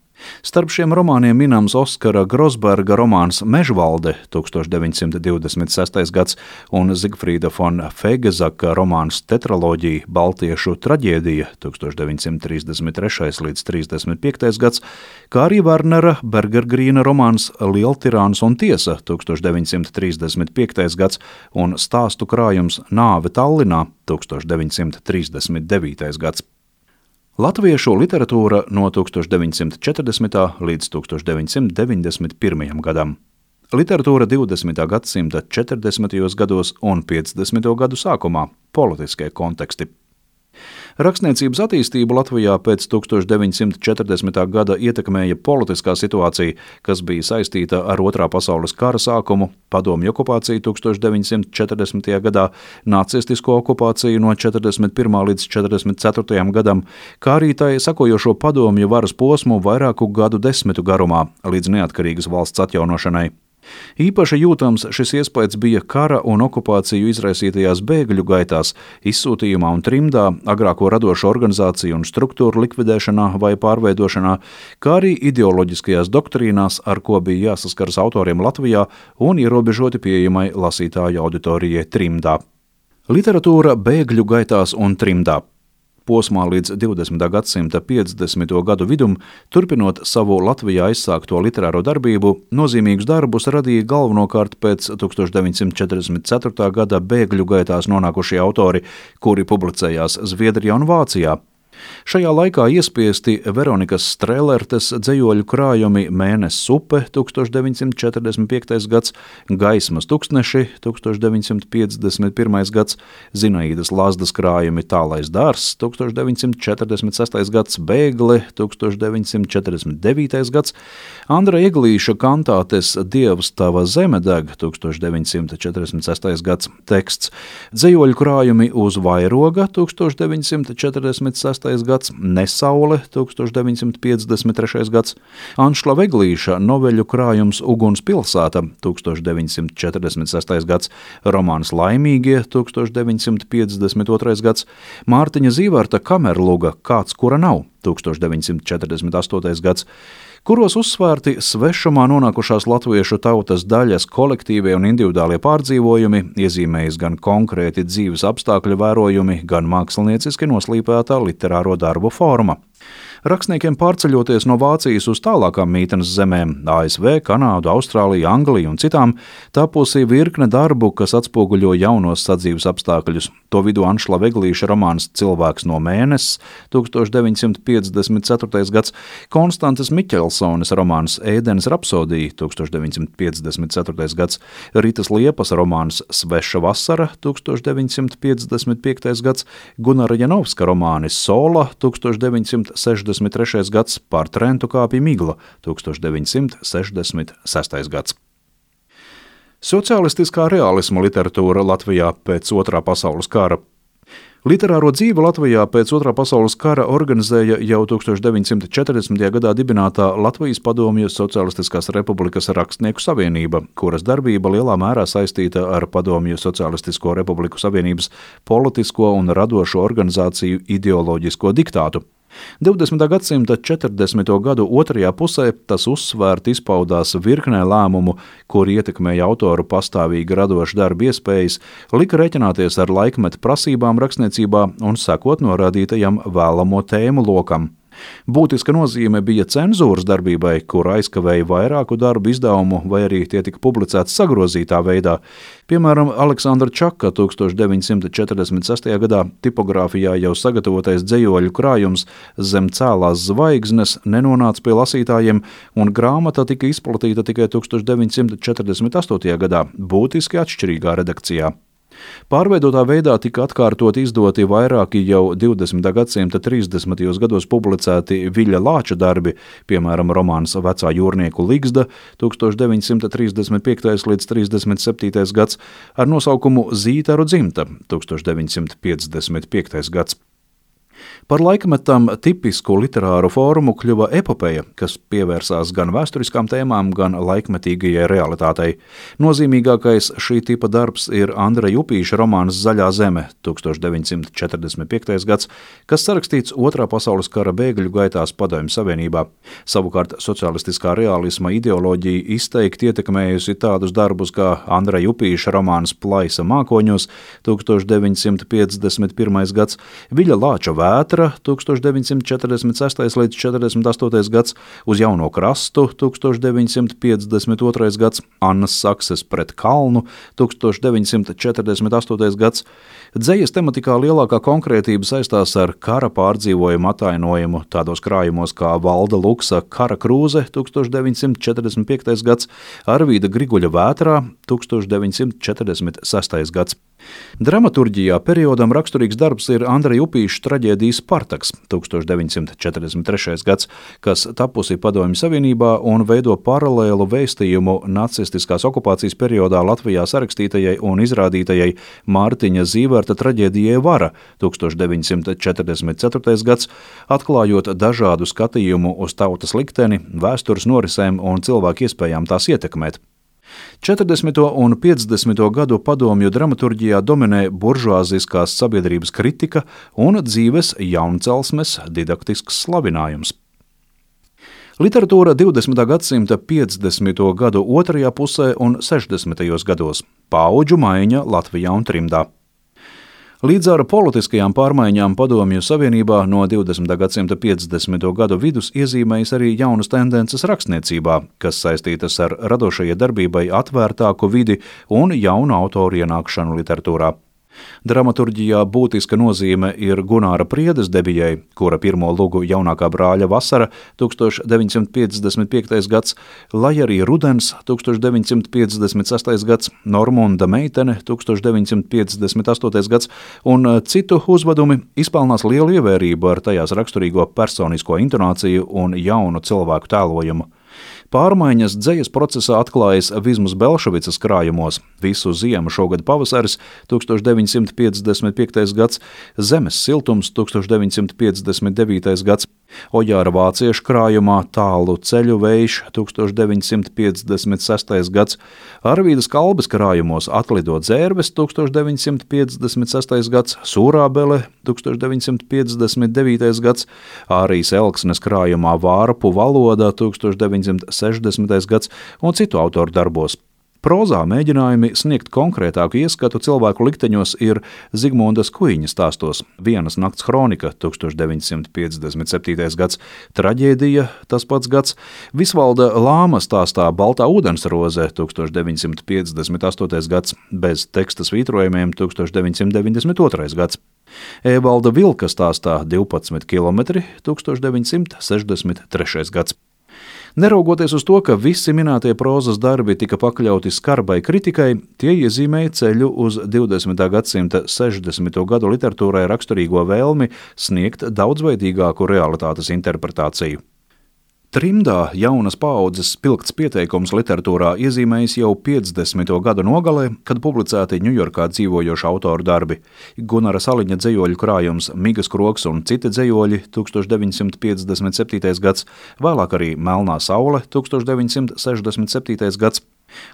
Starp šiem romāniem minams Oskara Grosberga romāns Mežvalde 1926. gads un Zigfrīda von Fegezaka romāns Tetraloģija Baltiešu traģēdija 1933. līdz 35. gads, kā arī Wernera Bergergrīna romāns Lieltirāns un tiesa 1935. gads un stāstu krājums Nāve Tallinā 1939. gads. Latviešu literatūra no 1940. līdz 1991. gadam. Literatūra 20. gadsimta 40. gados un 50. gadu sākumā – politiskie konteksti. Rakstniecības attīstību Latvijā pēc 1940. gada ietekmēja politiskā situācija, kas bija saistīta ar Otrā pasaules kara sākumu, padomju okupāciju 1940. gadā, nacistisko okupāciju no 41. līdz 44. gadam, kā arī tai sakojošo padomju varas posmu vairāku gadu desmitu garumā līdz neatkarīgas valsts atjaunošanai. Īpaši jūtams šis iespējas bija kara un okupāciju izraisītajās bēgļu gaitās, izsūtījumā un trimdā, agrāko radošo organizāciju un struktūru likvidēšanā vai pārveidošanā, kā arī ideoloģiskajās doktrīnās, ar ko bija jāsaskaras autoriem Latvijā un ierobežoti pieejamai lasītāju auditorijai trimdā. Literatūra bēgļu gaitās un trimdā. Posmā līdz 20. gadsimta 50. gadu vidum, turpinot savu Latvijā aizsākto literāro darbību, nozīmīgus darbus radīja galvenokārt pēc 1944. gada bēgļu gaitās nonākušie autori, kuri publicējās Zviedrijā un Vācijā. Šajā laikā iespiesti Veronikas Strēlertes dzejoļu krājumi Mēnesis upe 1945. gads, Gaismas tuksneši 1951. gads, Zinaīdas Lazdas krājumi Tālais dārzs 1946. gads, Bēgle 1949. gads, Andra Eglīša kantātes Dievs tava zeme deg 1946. gads, teksts, dzejoļu krājumi Uz vairoga 1946. gads, Nesaule 1953. gads, Anšla Veglīša noveļu krājums Uguns pilsēta 1946. gads, romāns Laimīgie 1952. gads, Mārtiņa Zīverta Kamerluga Kāds kura nav 1948. gads, kuros uzsvērti svešumā nonākušās latviešu tautas daļas kolektīvie un individuālie pārdzīvojumi, iezīmējas gan konkrēti dzīves apstākļu vērojumi, gan mākslinieciski noslīpētā literāro darbu forma. Rakstniekiem pārceļoties no Vācijas uz tālākām mītnes zemēm – ASV, Kanādu, Austrāliju, Angliju un citām – tapusi virkne darbu, kas atspoguļo jaunos sadzīves apstākļus. To vidū Anšlava Eglīša romāns Cilvēks no mēneses, 1954. gads, Konstantes Miķelsones romāns Ēdenes rapsodija, 1954. gads, Ritas Liepas romāns Sveša vasara, 1955. gads, Gunara Janovska romāni Sola, 1963. gads, Pār Trentu kāpja migla, 1966. gads. Socialistiskā realisma literatūra Latvijā pēc Otrā pasaules kara. Literāro dzīvi Latvijā pēc Otrā pasaules kara organizēja jau 1940. gadā dibinātā Latvijas Padomju Socialistiskās Republikas Rakstnieku savienība, kuras darbība lielā mērā saistīta ar Padomju Socialistisko Republiku Savienības politisko un radošo organizāciju ideoloģisko diktātu. 20. gadsimta 40. gadu otrajā pusē tas uzsvērti izpaudās virknē lēmumu, kur ietekmēja autoru pastāvīgi radošu darbu iespējas, lika reķināties ar laikmeta prasībām rakstniecībā un sekot norādītajam vēlamo tēmu lokam. Būtiska nozīme bija cenzūras darbībai, kur aizkavēja vairāku darbu izdevumu, vai arī tie tika publicēti sagrozītā veidā. Piemēram, Aleksandra Čaka 1946. gadā tipogrāfijā jau sagatavotais dzejoļu krājums Zem cēlās zvaigznes nenonāca pie lasītājiem, un grāmata tika izplatīta tikai 1948. gadā, būtiski atšķirīgā redakcijā. Pārveidotā veidā tika atkārtot izdoti vairāki jau 20. gadsimta 30. gados publicēti Viļa Lāča darbi, piemēram, romāns Vecā jūrnieku ligzda 1935. līdz 37. gads ar nosaukumu Zītaru dzimta 1955. gads. Par laikmetam tipisku literāru formu kļuva epopeja, kas pievērsās gan vēsturiskām tēmām, gan laikmetīgajai realitātei. Nozīmīgākais šī tipa darbs ir Andreja Upīša romāns Zaļā zeme, 1945. gads, kas sarakstīts Otrā pasaules kara bēgļu gaitās Padomju Savienībā. Savukārt socialistiskā realisma ideoloģija izteikti ietekmējusi tādus darbus kā Andreja Upīša romāns Plaisa mākoņos, 1951. gads, Viļa Lāča Vētra, 1946. līdz 48. gads, Uz jauno krastu, 1952. gads, Annas Sakses pret kalnu, 1948. gads. Dzejas tematikā lielākā konkrētība saistās ar kara pārdzīvojumu atainojumu tādos krājumos kā Valda Luksa Kara krūze, 1945. gads, Arvīda Griguļa Vētrā, 1946. gads. Dramaturģijā periodam raksturīgs darbs ir Andreja Upīša traģēdija Spartaks, 1943. gads, kas tapusi Padomju Savienībā un veido paralēlu vēstījumu nacistiskās okupācijas periodā Latvijā sarakstītajai un izrādītajai Mārtiņa Zīverta traģēdijai Vara, 1944. gads, atklājot dažādu skatījumu uz tautas likteni, vēstures norisēm un cilvēku iespējām tās ietekmēt. 40. un 50. gadu padomju dramaturģijā dominē buržuāziskās sabiedrības kritika un dzīves jauncelsmes didaktisks slavinājums. Literatūra 20. gadsimta 50. gadu otrajā pusē un 60. gados – paudžu maiņa Latvijā un trimdā. Līdz ar politiskajām pārmaiņām Padomju Savienībā no 20. gadsimta 50. gadu vidus iezīmējas arī jaunas tendences rakstniecībā, kas saistītas ar radošajai darbībai atvērtāku vidi un jaunu autoru ienākšanu literatūrā. Dramaturģijā būtiska nozīme ir Gunāra Priedes debijai, kura pirmo lugu Jaunākā brāļa vasara 1955. gads, lai arī Rudens 1956. gads, Normunda meitene 1958. gads un citu uzvedumi izpelnās lielu ievērību ar tajās raksturīgo personisko intonāciju un jaunu cilvēku tēlojumu. Pārmaiņas dzejas procesā atklājas Vizmas Belševicas krājumos Visu ziemu šogad pavasaris 1955. gads, Zemes siltums 1959. gads, Ojāra vāciešu krājumā Tālu ceļu vējš 1956. gads, Arvīdas Kalbes krājumos Atlido dzērves 1956. gads, Sūrābele 1959. gads, Ārijas Elksnes krājumā Vārpu valoda 1960. gads un citu autoru darbos. Prozā mēģinājumi sniegt konkrētāku ieskatu cilvēku likteņos ir Zigmundas Kuiņa stāstos Vienas nakts kronika 1957. gads, Traģēdija tas pats gads, Visvalda Lāma stāstā Baltā ūdensroze 1958. gads, bez teksta svītrojumiem 1992. gads. Evalda Vilka stāstā 12 km 1963. gads. Neraugoties uz to, ka visi minētie prozas darbi tika pakļauti skarbai kritikai, tie iezīmēja ceļu uz 20. gadsimta 60. gadu literatūrai raksturīgo vēlmi sniegt daudzveidīgāku realitātes interpretāciju. Trimdā jaunas paaudzes spilgts pieteikums literatūrā iezīmējis jau 50. gadu nogalē, kad publicēti Ņujorkā dzīvojošu autoru darbi. Gunara Saliņa dzejoļu krājums Migas krogs un citi dzejoļi 1957. gads, vēlāk arī Melnā saule 1967. gads,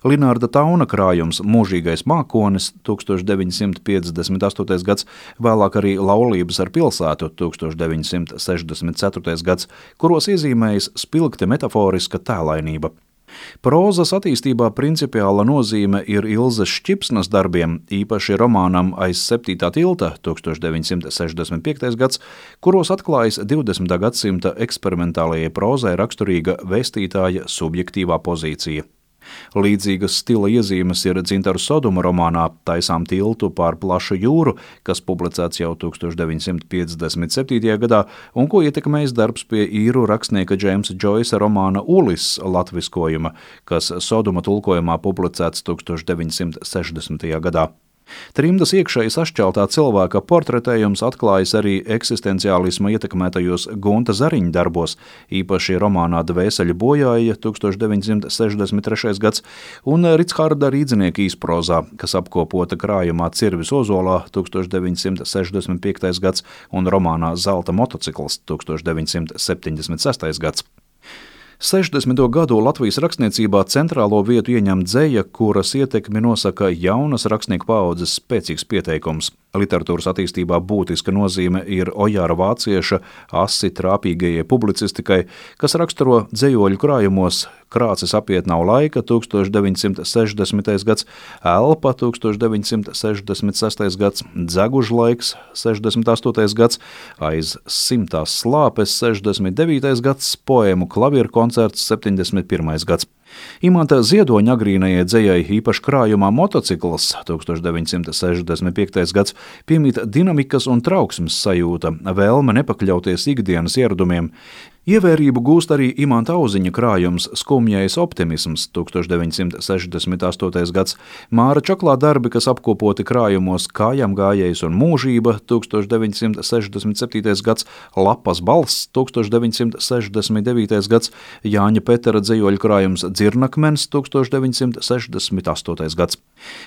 Linārda Tauna krājums Mūžīgais mākonis 1958. gads, vēlāk arī Laulības ar pilsētu 1964. gads, kuros iezīmējas spilgti metaforiska tēlainība. Prozas attīstībā principiāla nozīme ir Ilzes Šķipsnas darbiem, īpaši romānam Aiz 7. tilta 1965. gads, kuros atklājas 20. gadsimta eksperimentālajai prozai raksturīga vēstītāja subjektīvā pozīcija. Līdzīgas stila iezīmes ir Dzintaru Soduma romānā Taisām tiltu pār plašu jūru, kas publicēts jau 1957. gadā un ko ietekmējis darbs pie īru rakstnieka Džeimsa Džoisa romāna Ulis latviskojuma, kas Soduma tulkojumā publicēts 1960. gadā. Trimdas iekšēji sašķeltā cilvēka portretējums atklājas arī eksistenciālisma ietekmētajos Gunta Zariņa darbos, īpaši romānā Dvēseļu bojāja 1963. gads un Richarda Rīdzinieka īsprozā, kas apkopota krājumā Cirvis ozolā 1965. gads un romānā Zelta motocikls 1976. gads. 60. gadu Latvijas rakstniecībā centrālo vietu ieņem dzeja, kuras ietekmi nosaka jaunas rakstnieku paaudzes spēcīgs pieteikums. Literatūras attīstībā būtiska nozīme ir Ojāra vācieša asi trāpīgajai publicistikai, kas raksturo dzejoļu krājumos Krācis apiet nav laika 1960. gads, Elpa 1966. gads, Dzegužlaiks 68. gads, Aiz simtās slāpes 69. gads, poēmu Klavieru koncerts 71. gads. Imanta Ziedoņa agrīnajai dzejai īpaši krājumā Motocikls 1965. gads piemīt dinamikas un trauksmes sajūta, vēlme nepakļauties ikdienas ieradumiem. Ievērību gūst arī Imanta Auziņa krājums Skumjais optimisms 1968. gads, Māra Čaklā darbi, kas apkopoti krājumos Kājām gājējs un mūžība 1967. gads, Lapas balss 1969. gads, Jāņa Petera dzejoļu krājums Dzirnakmens 1968. gads.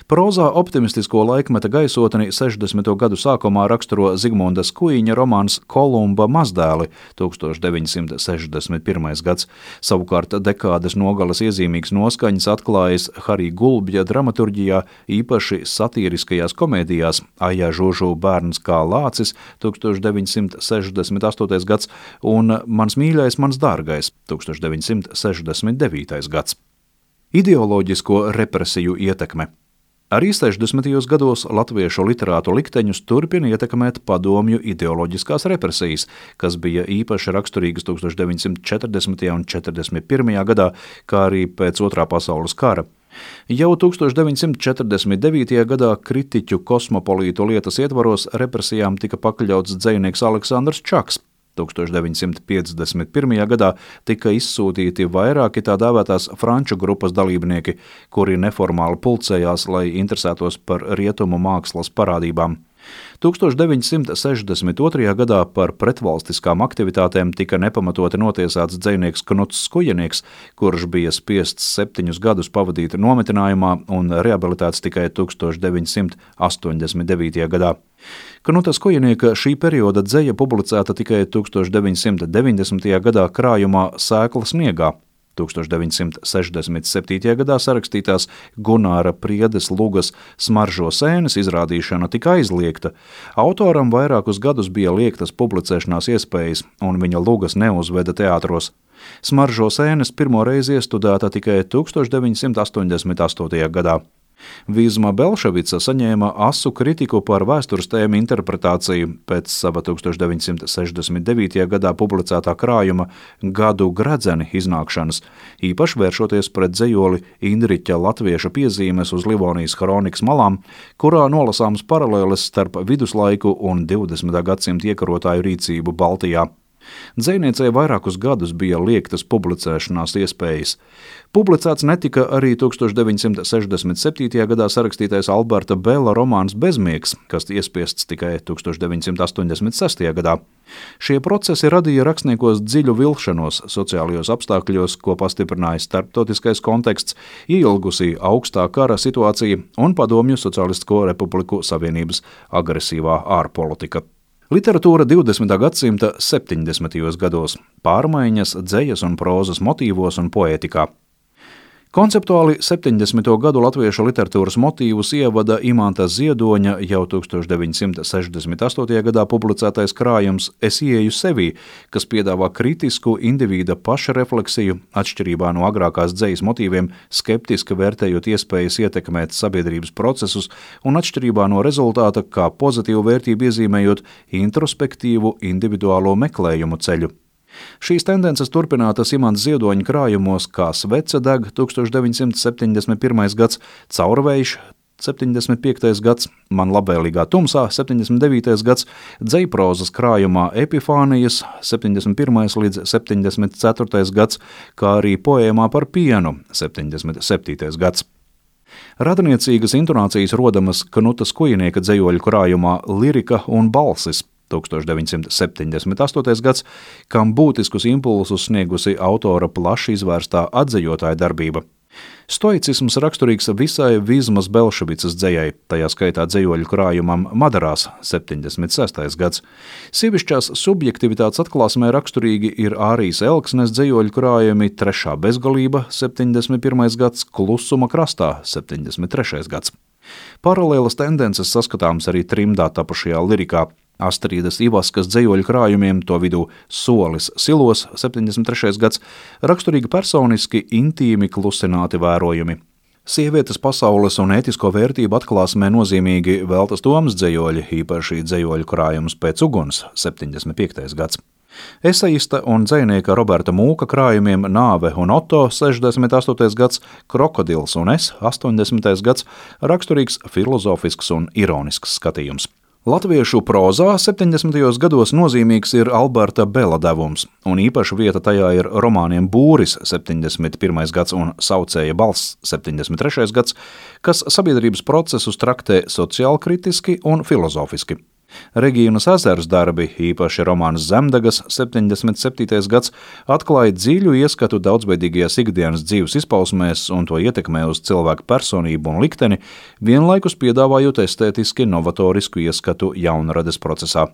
Prozā optimistisko laikmeta gaisotni 60. gadu sākumā raksturo Zigmundas Kuiņa romāns Kolumba mazdēli 1961. gads. Savukārt dekādes nogales iezīmīgs noskaņas atklājas Harī Gulbja dramaturģijā, īpaši satīriskajās komēdijās Aijā Žužu bērns kā lācis 1968. gads un Mans mīļais, mans dārgais 1969. gads. Ideoloģisko represiju ietekme. Arī 60. gados latviešu literātu likteņus turpina ietekmēt padomju ideoloģiskās represijas, kas bija īpaši raksturīgas 1940. un 41. gadā, kā arī pēc Otrā pasaules kara. Jau 1949. gadā kritiķu kosmopolītu lietas ietvaros represijām tika pakļauts dzejnieks Aleksandrs Čaks. 1951. gadā tika izsūtīti vairāki tā dēvētās franču grupas dalībnieki, kuri neformāli pulcējās, lai interesētos par rietumu mākslas parādībām. 1962. gadā par pretvalstiskām aktivitātēm tika nepamatoti notiesāts dzejnieks Knuts Skujenieks, kurš bija spiests 7 gadus pavadīt nometinājumā un rehabilitēts tikai 1989. gadā. Knuta Skujenieka šī perioda dzeja publicēta tikai 1990. gadā krājumā Sēkla sniegā. 1967. gadā sarakstītās Gunāra Priedes lugas Smaržo sēnes izrādīšana tika aizliegta. Autoram vairākus gadus bija liegtas publicēšanās iespējas, un viņa lugas neuzveda teātros. Smaržo sēnes pirmo reizi iestudēta tikai 1988. gadā. Vizma Belševica saņēma asu kritiku par vēstures tēmu interpretāciju pēc sava 1969. gadā publicētā krājuma Gadu gredzeni iznākšanas, īpaši vēršoties pret dzejoli Indriķa latvieša piezīmes uz Livonijas kronikas malām, kurā nolasāms paralēles starp viduslaiku un 20. gadsimta iekarotāju rīcību Baltijā. Dzejniecei vairākus gadus bija liegtas publicēšanās iespējas. Publicēts netika arī 1967. gadā sarakstītais Alberta Bela romāns Bezmiegs, kas iespiests tikai 1986. gadā. Šie procesi radīja rakstniekos dziļu vilšanos sociālajos apstākļos, ko pastiprināja starptautiskais konteksts, ielgusī augstā kara situācija un Padomju Socialistisko Republiku Savienības agresīvā ārpolitika. Literatūra 20. gadsimta 70. gados – pārmaiņas dzejas un prózas motīvos un poētikā. Konceptuāli 70. gadu latviešu literatūras motīvus ievada Imanta Ziedoņa jau 1968. gadā publicētais krājums Es ieeju sevī, kas piedāvā kritisku individa pašrefleksiju, atšķirībā no agrākās dzejas motīviem, skeptiski vērtējot iespējas ietekmēt sabiedrības procesus un atšķirībā no rezultāta kā pozitīvu vērtību iezīmējot introspektīvu individuālo meklējumu ceļu. Šīs tendences turpinātas Imanta Ziedoņa krājumos kā Svece deg 1971. gads, Caurvējš 75. gads, Man labvēlīgā tumsā 79. gads, dzejprozas krājumā Epifānijas 71. līdz 74. gads, kā arī poēmā par pienu 77. gads. Radniecīgas intonācijas rodamas Knuta Skujenieka dzejoļu krājumā Lirika un balsis 1978. gads, kam būtiskus impulsus sniegusi autora plaši izvērstā atdzejotāja darbība. Stoicisms raksturīgs visai Vizmas Belševicas dzejai, tajā skaitā dzejoļu krājumam Madarās 76. gads. Sievišķās subjektivitātes atklāsmē raksturīgi ir Ārijas Elksnes dzejoļu krājumi Trešā bezgalība 71. gads, Klusuma krastā 73. gads. Paralēlas tendences saskatāms arī trimdā tapušajā lirikā. Astrīdas Ivaskas dzejoļu krājumiem, to vidū Solis silos 73. gads, raksturīgi personiski, intīmi klusināti vērojumi. Sievietes pasaules un ētisko vērtību atklāsmē nozīmīgi Veltas Tomas dzejoļi, īpaši dzejoļu krājums Pēc uguns 75. gads. Eseista un dzejnieka Roberta Mūka krājumiem Nāve un Oto 68. gads, Krokodils un es 80. gads, raksturīgs filozofisks un ironisks skatījums. Latviešu prózā 70. gados nozīmīgs ir Alberta Bela devums, un īpaša vieta tajā ir romāniem Būris 71. gads un Saucēja balss 73. gads, kas sabiedrības procesus traktē sociālkritiski un filozofiski. Regīnas Ezers darbi, īpaši romāns Zemdegas 77. gads, atklāja dziļu ieskatu daudzveidīgajās ikdienas dzīves izpausmēs un to ietekmē uz cilvēku personību un likteni, vienlaikus piedāvājot estētiski novatorisku ieskatu jaunrades procesā.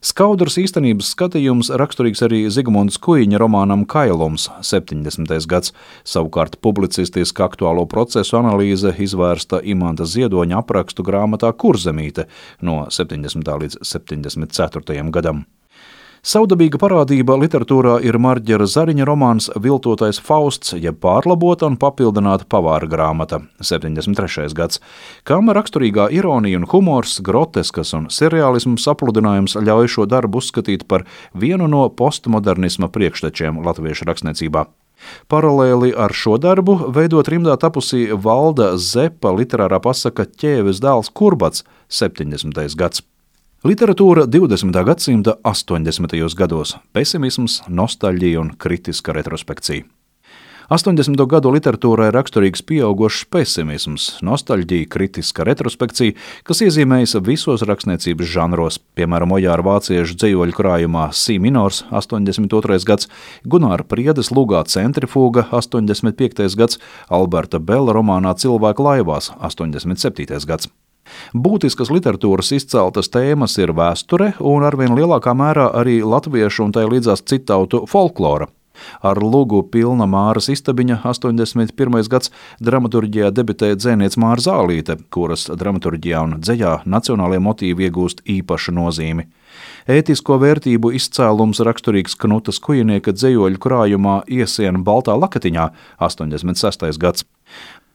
Skaudrs īstenības skatījums raksturīgs arī Zigmundas Kuiņa romānam Kailums 70. gads, savukārt publicistiska aktuālo procesu analīze izvērsta Imanta Ziedoņa aprakstu grāmatā Kurzemīte no 70. līdz 74. gadam. Savdabīga parādība literatūrā ir Marģera Zariņa romāns Viltotais Fausts, jeb pārlabota un papildināta pavāra grāmata 73. gads, kam raksturīgā ironija un humors, groteskas un seriālisms sapludinājums ļauj šo darbu uzskatīt par vienu no postmodernisma priekštečiem latviešu rakstniecībā. Paralēli ar šo darbu veidot rimdā tapusī Valda Zepa literārā pasaka Ķēves dēls Kurbats 70. gads. Literatūra 20. gadsimta 80. gados – pesimisms, nostalģija un kritiska retrospekcija. 80. gadu literatūrai raksturīgs pieaugošs pesimisms, nostalģija, kritiska retrospekcija, kas iezīmējas visos rakstniecības žanros, piemēram, Ojāra vāciešu dzejoļu krājumā Si minors 82. gads, Gunāra Priedes lugā Centrifuga 85. gads, Alberta Bela romānā Cilvēku laivās 87. gads. Būtiskas literatūras izceltas tēmas ir vēsture un arvien lielākā mērā arī latviešu un tai līdzās citautu folklora. Ar lugu Pilna Māras istabiņa 81. gads dramaturģijā debitē dzēniece Māra Zālīte, kuras dramaturģijā un dzejā nacionālie motīvi iegūst īpašu nozīmi. Ētisko vērtību izcēlums raksturīgs Knuta Skujinieka dzejoļu krājumā Iesiena baltā lakatiņā 86. gads.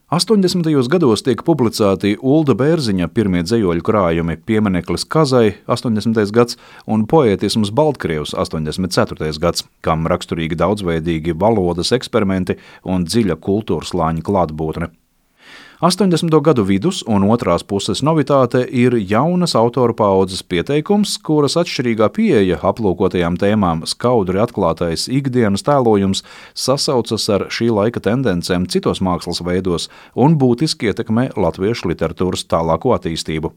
80. gados tiek publicēti Ulda Bērziņa pirmie dzejoļu krājumi Piemineklis Kazai 80. gads un Poētisms Baltkrievs 84. gads, kam raksturīgi daudzveidīgi valodas eksperimenti un dziļa kultūras slāņa klātbūtne. 80. gadu vidus un otrās puses novitāte ir jaunas autoru paaudzes pieteikums, kuras atšķirīgā pieeja aplūkotajām tēmām skaudri atklātais ikdienas tēlojums sasaucas ar šī laika tendencēm citos mākslas veidos un būtiski ietekmē latviešu literatūras tālāko attīstību.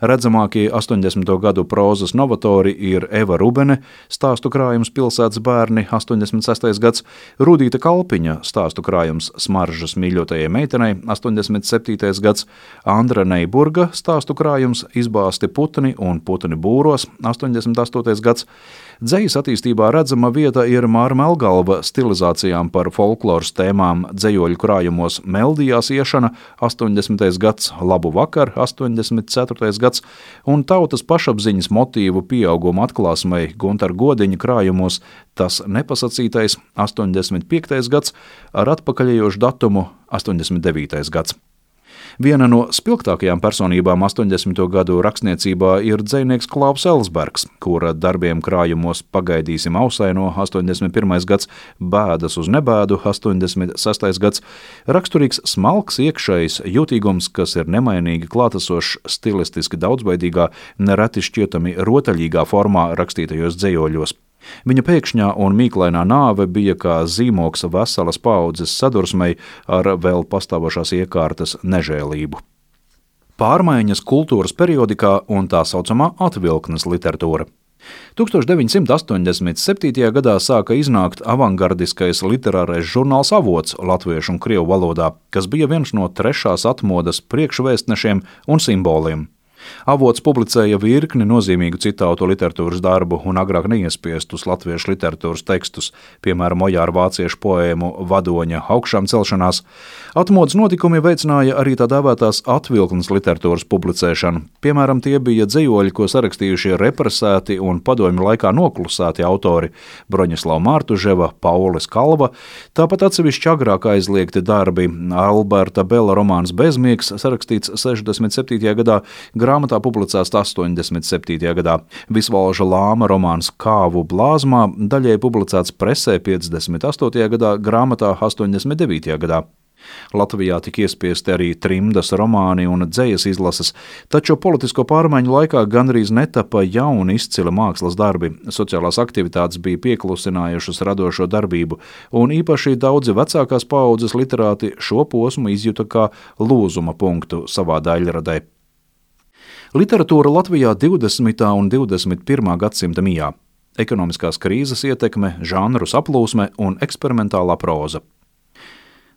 Redzamākie 80. gadu prózas novatori ir Eva Rubene, stāstu krājums Pilsētas bērni 86. gads, Rudīta Kalpiņa, stāstu krājums Smaržas mīļotajai meitenei 87. gads, Andra Neiburga, stāstu krājums Izbāsti putni un putni būros 88. gads. Dzejas attīstībā redzama vieta ir Māra Melgalva stilizācijām par folkloras tēmām dzejoļu krājumos Meldijās iešana 80. gads, Labu vakar 84. gads un tautas pašapziņas motīvu pieauguma atklāsmei Guntar Godiņa krājumos Tas nepasacītais 85. gads ar atpakaļejošu datumu 89. gads. Viena no spilgtākajām personībām 80. gadu rakstniecībā ir dzejnieks Klaus Elsbergs, kura darbiem krājumos Pagaidīsim ausaino 81. gads, Bēdas uz nebēdu 86. gads, raksturīgs smalks iekšējs jūtīgums, kas ir nemainīgi klātesošs stilistiski daudzveidīgā, nereti šķietami rotaļīgā formā rakstītajos dzejoļos. Viņa pēkšņā un mīklainā nāve bija kā zīmoks veselas paaudzes sadursmei ar vēl pastāvošās iekārtas nežēlību. Pārmaiņas kultūras periodikā un tā saucamā atvilknes literatūra. 1987. gadā sāka iznākt avangardiskais literārais žurnāls Avots latviešu un krievu valodā, kas bija viens no trešās atmodas priekšvēstnešiem un simboliem. Avots publicēja virkni nozīmīgu citātu literatūras darbu un agrāk neiespiestus latviešu literatūras tekstus, piemēram, Ojāra vāciešu poēmu Vadoņa augšām celšanās. Atmodas notikumi veicināja arī tā dēvētās atvilknes literatūras publicēšanu. Piemēram, tie bija dzejoļi, ko sarakstījušie represēti un padomju laikā noklusēti autori Broņislava Mārtuževa, Paulis Kalva, tāpat atsevišķi agrāk aizliegti darbi Alberta Bela romāns Bezmiegs, sarakstīts 67. gadā, grāmatā publicēts 87. gadā. Visvalža Lāma romāns Kāvu blāzmā daļai publicēts presē 58. gadā, grāmatā 89. gadā. Latvijā tika iespiesti arī trimdas romāni un dzejas izlases, taču politisko pārmaiņu laikā gandrīz netapa jauni izcili mākslas darbi, sociālās aktivitātes bija pieklusinājušas radošo darbību, un īpaši daudzi vecākās paaudzes literāti šo posmu izjuta kā lūzuma punktu savā daļradē. Literatūra Latvijā 20. un 21. gadsimta mijā, ekonomiskās krīzes ietekme, žanru saplūsme un eksperimentālā próza.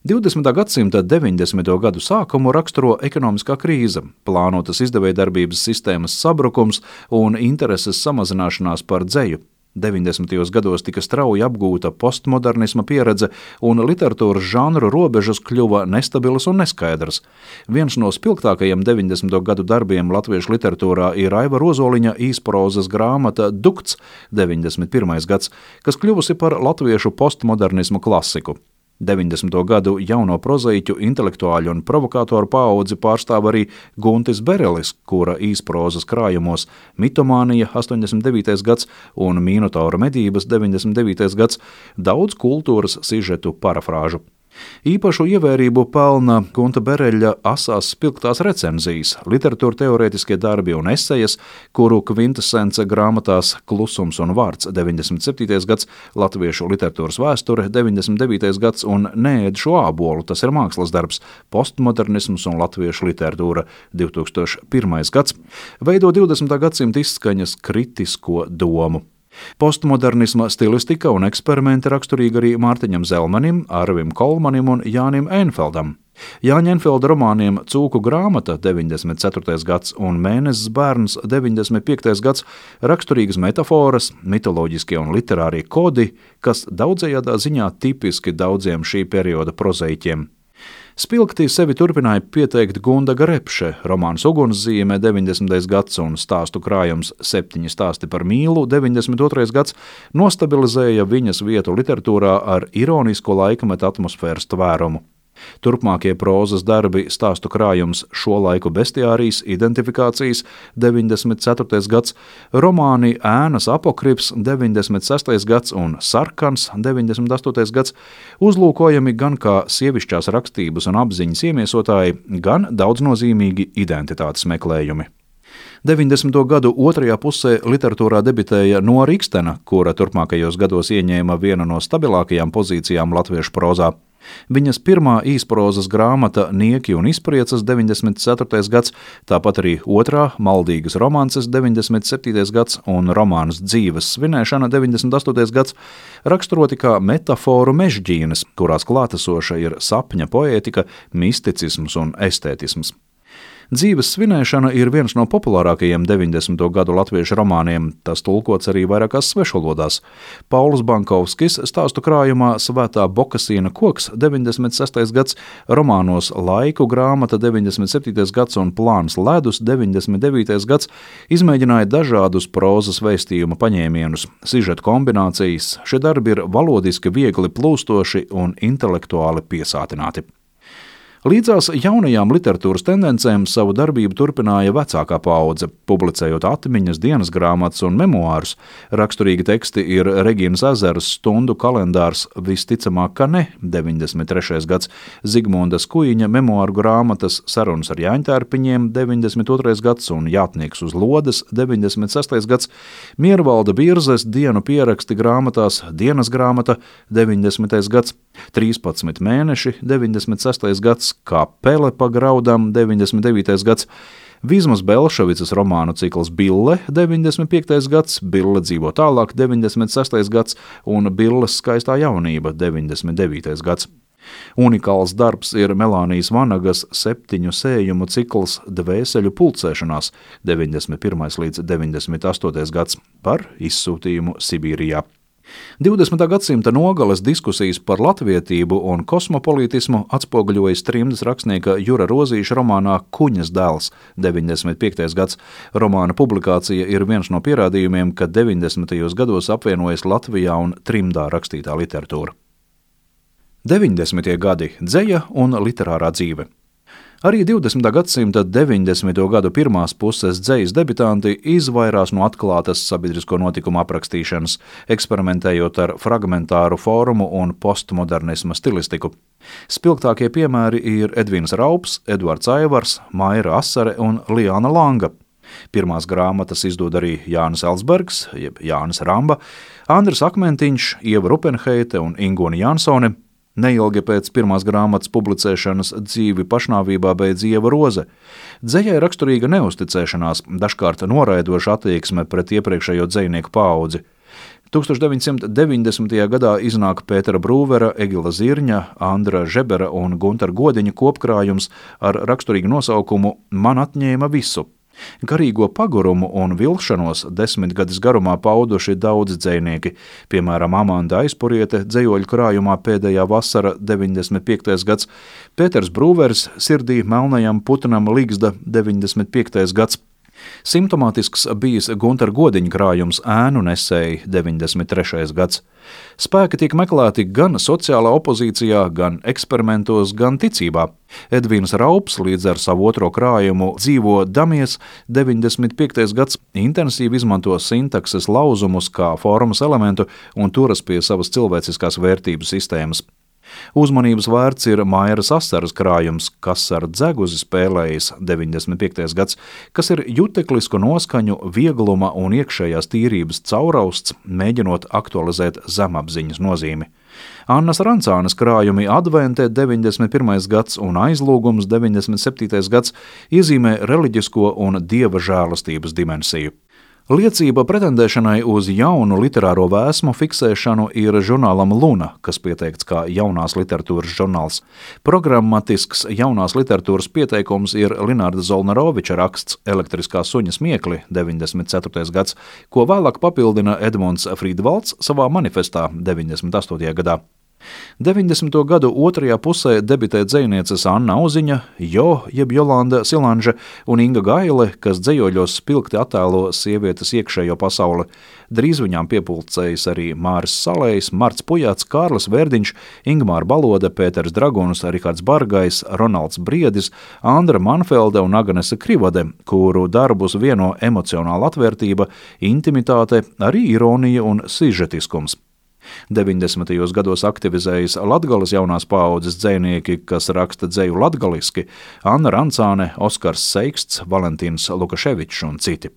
20. gadsimta 90. gadu sākumu raksturo ekonomiskā krīze, plānotas izdevējdarbības sistēmas sabrukums un intereses samazināšanās par dzeju. 90. gados tika strauji apgūta postmodernisma pieredze un literatūras žanru robežas kļuva nestabilas un neskaidras. Viens no spilgtākajiem 90. gadu darbiem latviešu literatūrā ir Aiva Rozoliņa īsprozas grāmata Dukts 91. gads, kas kļuvusi par latviešu postmodernismu klasiku. 90. gadu jauno prozaiķu, intelektuāļu un provokātoru paudzi pārstāv arī Guntis Berelis, kura īsprozas krājumos Mitomānija 89. gads un Minotaura medības 99. gads daudz kultūras sižetu parafrāžu. Īpašu ievērību pelna Gunta Bereļa asās spilgtās recenzijas, literatūra teorētiskie darbi un esejas, kuru kvintesence grāmatās Klusums un vārds 97. gads, Latviešu literatūras vēsture 99. gads un Neēdšu ābolu, tas ir mākslas darbs, postmodernisms un latviešu literatūra 2001. gads, veido 20. gadsimta izskaņas kritisko domu. Postmodernisma stilistika un eksperimenti raksturīgi arī Mārtiņam Zelmanim, Arvim Kolmanim un Jānim Einfeldam. Jāņa Einfelda romāniem Cūku grāmata 94. gads un Mēnesis bērns 95. gads raksturīgas metaforas, mitoloģiskie un literārie kodi, kas daudzējādā ziņā tipiski daudziem šī perioda prozaiķiem. Spilgti sevi turpināja pieteikt Gundaga Repše, romāns Ugunszīme 90. gads un stāstu krājums 7 stāsti par mīlu 92. gads nostabilizēja viņas vietu literatūrā ar ironisko laikmeta atmosfēras tvērumu. Turpmākie prózas darbi stāstu krājums Šo laiku bestiārijas identifikācijas 94. gads, romāni Ēnas apokrifs 96. gads un Sarkans 98. gads uzlūkojami gan kā sievišķās rakstības un apziņas iemiesotāji, gan daudznozīmīgi identitātes meklējumi. 90. gadu otrajā pusē literatūrā debitēja Nora Ikstena, kura turpmākajos gados ieņēma vienu no stabilākajām pozīcijām latviešu prózā. Viņas pirmā īsprozas grāmata Nieki un izpriecas 94. gads, tāpat arī otrā Maldīgas romances 97. gads un romāns Dzīves svinēšana 98. gads raksturoti kā metaforu mežģīnes, kurās klātesoša ir sapņa poētika, misticisms un estētisms. Dzīves svinēšana ir viens no populārākajiem 90. gadu latviešu romāniem, tas tulkots arī vairākās svešvalodās. Pauls Bankovskis stāstu krājumā Svētā Bokasīna koks 96. gads, romānos Laiku grāmata 97. gads un Plāns ledus 99. gads izmēģināja dažādus prózas vēstījuma paņēmienus, sižetu kombinācijas. Šie darbi ir valodiski viegli plūstoši un intelektuāli piesātināti. Līdzās jaunajām literatūras tendencēm savu darbību turpināja vecākā paudze, publicējot atmiņas, dienas grāmatas un memoārus. Raksturīgi teksti ir Regīnas Ezeras stundu kalendārs Visticamāk, ka ne 93. gads, Zigmundas Kuiņa memoāru grāmatas Sarunas ar Jāņtērpiņiem 92. gads un Jātnieks uz lodes 96. gads, Miervalda Birzes dienu pieraksti grāmatās Dienas grāmata 90. gads, 13 mēneši 96. gads, Kā pele pa graudam 99. gads, Vizmas Belševicas romānu cikls Bille 95. gads, Bille dzīvo tālāk 96. gads un Billes skaistā jaunība 99. gads. Unikāls darbs ir Melānijas Vanagas 7 sējumu cikls Dvēseļu pulcēšanās 91. līdz 98. gads par izsūtījumu Sibīrijā. 20. gadsimta nogales diskusijas par latvietību un kosmopolītismu atspoguļojas trimdas rakstnieka Jura Rozīša romānā Kuņas dēls 95. gads. Romāna publikācija ir viens no pierādījumiem, ka 90. gados apvienojas Latvijā un trimdā rakstītā literatūra. 90. gadi – dzeja un literārā dzīve. Arī 20. gadsimta 90. gadu pirmās puses dzejas debitanti izvairās no atklātas sabiedrisko notikumu aprakstīšanas, eksperimentējot ar fragmentāru formu un postmodernisma stilistiku. Spilgtākie piemēri ir Edvīns Raups, Eduards Aivars, Maira Asare un Liana Langa. Pirmās grāmatas izdod arī Jānis Elsbergs, jeb Jānis Ramba, Andris Akmentiņš, Ieva Rupenheite un Ingūna Jansone. Neilgi pēc pirmās grāmatas publicēšanas dzīvi pašnāvībā beidz Ieva Roze. Dzejai raksturīga neusticēšanās, dažkārt noraidoša attieksme pret iepriekšējo dzejnieku paudzi. 1990. gadā iznāk Pētera Brūvera, Egila Zirņa, Andra Žebera un Guntara Godiņa kopkrājums ar raksturīgu nosaukumu Man atņēma visu. Garīgo pagurumu un vilšanos 10 gadus garumā pauduši daudzi dzejnieki, piemēram Amanda Aizpuriete dzejoļu krājumā Pēdējā vasara 95. gads, Pēters Brūvers Sirdī melnajam putnam Ligzda 95. gads. Simptomātisks bijis Guntara Godiņa krājums Ēnu nesēji 93. gads. Spēki tiek meklēti gan sociālā opozīcijā, gan eksperimentos, gan ticībā. Edvīns Raups līdz ar savu otro krājumu Dzīvo damies 95. gads intensīvi izmanto sintakses lauzumus kā formas elementu un turas pie savas cilvēciskās vērtību sistēmas. Uzmanības vērts ir Mairas Asaras krājums, kas ar dzeguzi spēlējis 95. gads, kas ir juteklisku noskaņu, viegluma un iekšējās tīrības caurausts, mēģinot aktualizēt zemapziņas nozīmi. Annas Rancānes krājumi Advente 91. gads un Aizlūgums 97. gads iezīmē reliģisko un dieva žēlastības dimensiju. Liecība pretendēšanai uz jaunu literāro vēsmu fiksēšanu ir žurnālam Luna, kas pieteikts kā jaunās literatūras žurnāls. Programmatisks jaunās literatūras pieteikums ir Linārda Zolnaroviča raksts Elektriskā suņa smiekli 94. gads, ko vēlāk papildina Edmunds Frīdvalds savā manifestā 98. gadā. 90. gadu otrajā pusē debitē dzejnieces Anna Auziņa, jeb Jolanda Silanže un Inga Gaile, kas dzejoļos spilgti attēlo sievietes iekšējo pasauli. Drīz viņām piepulcējas arī Māris Salējs, Marts Pujāts, Kārlis Verdiņš, Ingmāra Balode, Pēters Draguns, Rihards Bargais, Ronalds Briedis, Andra Manfelde un Agnese Krivade, kuru darbus vieno emocionāla atvērtība, intimitāte, arī ironija un sižetiskums. 90. gados aktivizējas Latgales jaunās paaudzes dzejnieki, kas raksta dzeju latgaliski, Anna Rancāne, Oskars Seiksts, Valentīns Lukaševičs un citi.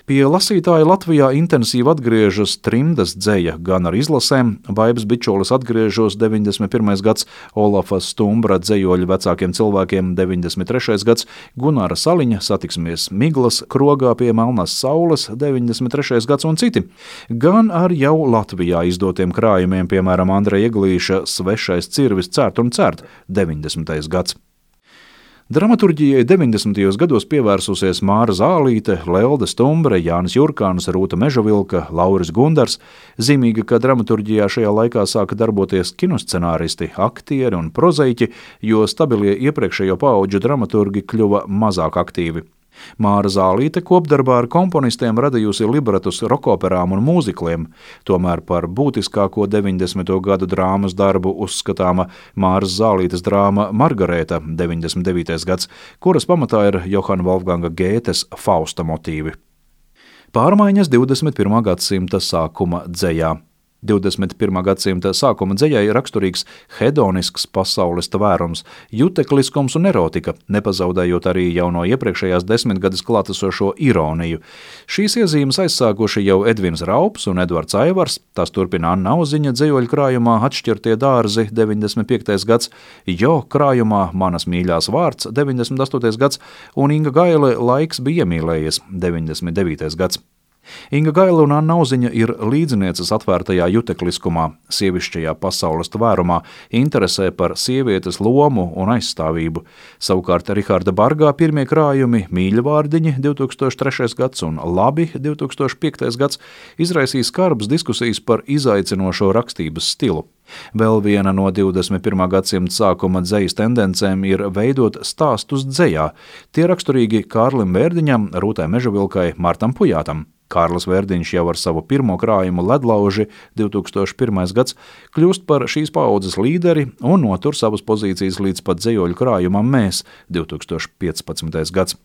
Pie lasītāja Latvijā intensīvi atgriežas trimdas dzeja gan ar izlasēm, Vaibas Bičolis atgriežos 91. gads, Olafa Stumbra dzejoļu vecākiem cilvēkiem 93. gads, Gunāra Saliņa satiksmies Miglas krogā pie Melnās saules 93. gads un citi, gan ar jau Latvijā izdotiem krājumiem, piemēram Andreja Eglīša Svešais cirvis cērt un cērt 90. gads. Dramaturģijai 90. gados pievērsusies Māra Zālīte, Leilde Stumbre, Jānis Jurkāns, Rūta Mežavilka, Lauris Gundars. Zīmīgi, ka dramaturģijā šajā laikā sāka darboties kinoscenāristi, aktieri un prozaiķi, jo stabilie iepriekšējo paauģu dramaturgi kļuva mazāk aktīvi. Māra Zālīte kopdarbā ar komponistiem radījusi libretus rokoperām un mūzikliem, tomēr par būtiskāko 90. gadu drāmas darbu uzskatāma Māras Zālītes drāma Margarēta 99. gads, kuras pamatā ir Johana Wolfganga Gētes Fausta motīvi. Pārmaiņas 21. gadsimta sākuma dzejā. 21. gadsimta sākuma dzejai raksturīgs hedonisks pasaules tvērums, jutekliskums un erotika, nepazaudējot arī jau no iepriekšējās desmitgades klātesošo ironiju. Šīs iezīmes aizsākuši jau Edvins Raups un Edvards Aivars, tās turpina Anna Auziņa dzejoļu krājumā Atšķirtie dārzi 95. gads, Jo krājumā Manas mīļās vārds 98. gads un Inga Gaile Laiks bija iemīlējies 99. gads. Inga Gaile un Anna Auziņa ir līdzinieces atvērtajā jutekliskumā, sievišķajā pasaules tvērumā, interesē par sievietes lomu un aizstāvību. Savukārt Riharda Bargā pirmie krājumi Mīļvārdiņi 2003. gads un Labi 2005. gads izraisīs skarbas diskusijas par izaicinošo rakstības stilu. Vēl viena no 21. gadsimta sākuma dzejas tendencēm ir veidot stāstus dzejā. Tie raksturīgi Kārlim Vērdiņam, Rūtai Mežavilkai, Martam Pujātam. Kārlis Vērdiņš jau ar savu pirmo krājumu Ledlauži 2001. gads kļūst par šīs paaudzes līderi un notur savas pozīcijas līdz pat dzejoļu krājumam Mēs 2015. gads.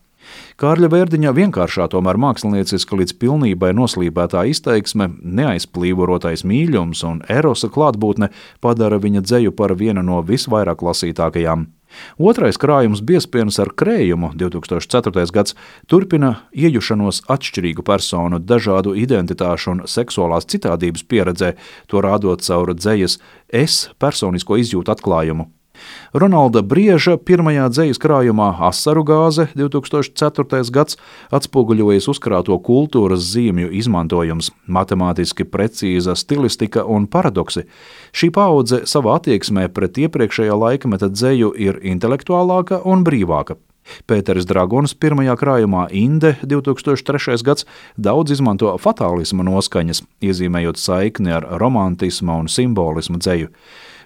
Kārļa Vērdiņa vienkāršā, tomēr mākslinieciska līdz pilnībai noslīpētā izteiksme, neaizplīvorotais mīļums un erosa klātbūtne padara viņa dzeju par vienu no visvairāk lasītākajām. Otrais krājums Biezpienas ar krējumu 2004. gads turpina iejušanos atšķirīgu personu, dažādu identitāšu un seksuālās citādības pieredzē, to rādot caur dzejas es personisko izjūtu atklājumu. Ronalda Brieža pirmajā dzejas krājumā Asaru gāze 2004. gads atspoguļojas uzkrāto kultūras zīmju izmantojums, matemātiski precīza stilistika un paradoksi. Šī paudze savā attieksmē pret iepriekšējā laikmeta dzeju ir intelektuālāka un brīvāka. Pēteris Draguns pirmajā krājumā Inde 2003. gads daudz izmanto fatālisma noskaņas, iezīmējot saikni ar romantisma un simbolismu dzeju.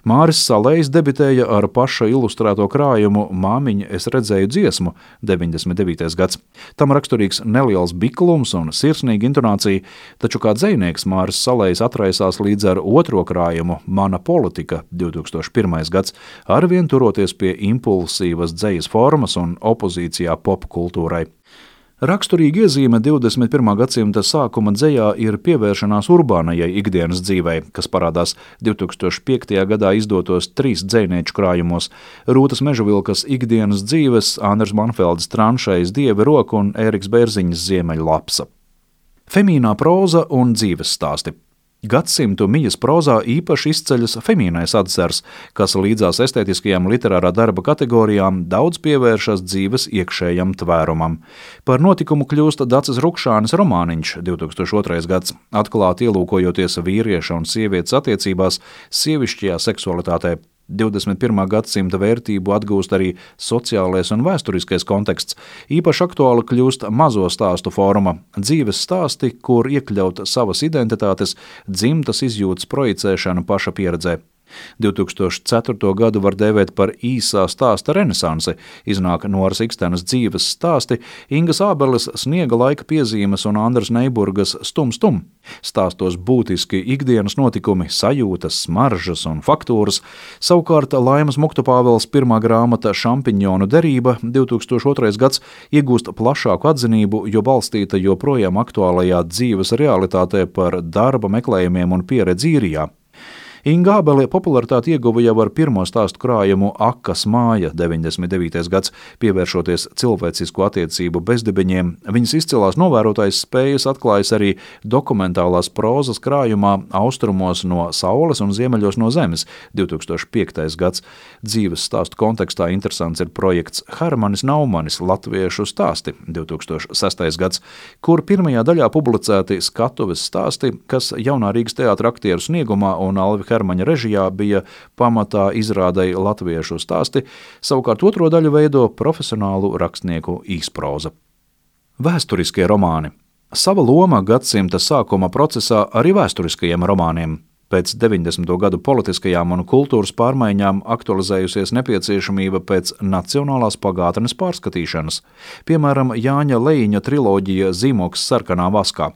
Māris Salējs debitēja ar paša ilustrēto krājumu Māmiņa es redzēju dziesmu 99. gads. Tam raksturīgs neliels biklums un sirsnīga intonācija, taču kā dzejnieks Māris Salējs atraisās līdz ar otro krājumu Mana politika 2001. gads, arvien turoties pie impulsīvas dzejas formas un opozīcijā popkultūrai. Raksturīga iezīme 21. gadsimta sākuma dzejā ir pievēršanās urbānajai ikdienas dzīvei, kas parādās 2005. gadā izdotos 3 dzejnieču krājumos – Rūtas Mežavilkas ikdienas dzīves, Andres Manfeldes Tranšejas Dieva roka un Ēriks Bērziņas Ziemeļlapsa. Femīnā proza un dzīves stāsti. Gadsimtu mijas prozā īpaši izceļas femīnais atzars, kas līdzās estētiskajām literārā darba kategorijām daudz pievēršas dzīves iekšējam tvērumam. Par notikumu kļūst Daces Rukšānes romāniņš 2002. gads, atklāti ielūkojoties vīrieša un sievietes attiecībās, sievišķajā seksualitātē. 21. gadsimta vērtību atgūst arī sociālais un vēsturiskais konteksts. Īpaši aktuāli kļūst mazo stāstu forma – dzīves stāsti, kur iekļaut savas identitātes, dzimtas izjūtas projicēšana paša pieredzē. 2004. gadu var dēvēt par īsā stāsta renesansi, iznāk Noras Ikstenes dzīves stāsti, Ingas Ābeles Sniega laika piezīmes un Andras Neiburgas Stum Stum. Stāstos būtiski ikdienas notikumi, sajūtas, smaržas un faktūras. Savukārt Laimas Muktupāveles pirmā grāmata Šampiņonu derība 2002. gads iegūst plašāku atzinību, jo balstīta joprojām aktuālajā dzīves realitātē par darba meklējumiem un pieredzi īrijā. Inga Ābele popularitāti ieguva jau ar pirmo stāstu krājumu Akas māja 99. gads, pievēršoties cilvēcisku attiecību bezdibeņiem. Viņas izcilās novērotājas spējas atklājas arī dokumentālās prozas krājumā Austrumos no saules un ziemeļos no zemes 2005. gads. Dzīves stāstu kontekstā interesants ir projekts Hermanis Naumanis latviešu stāsti 2006. gads, kur pirmajā daļā publicēti skatuves stāsti, kas jaunā Rīgas teātra aktieru sniegumā un Alvi Hermaņa režijā bija pamatā izrādei latviešu stāsti, savukārt otro daļu veido profesionālu rakstnieku īsproza. Vēsturiskie romāni. Sava loma gadsimta sākuma procesā arī vēsturiskajiem romāniem. Pēc 90. gadu politiskajām un kultūras pārmaiņām aktualizējusies nepieciešamība pēc nacionālās pagātnes pārskatīšanas, piemēram, Jāņa Lejiņa triloģija Zīmoks sarkanā vaskā.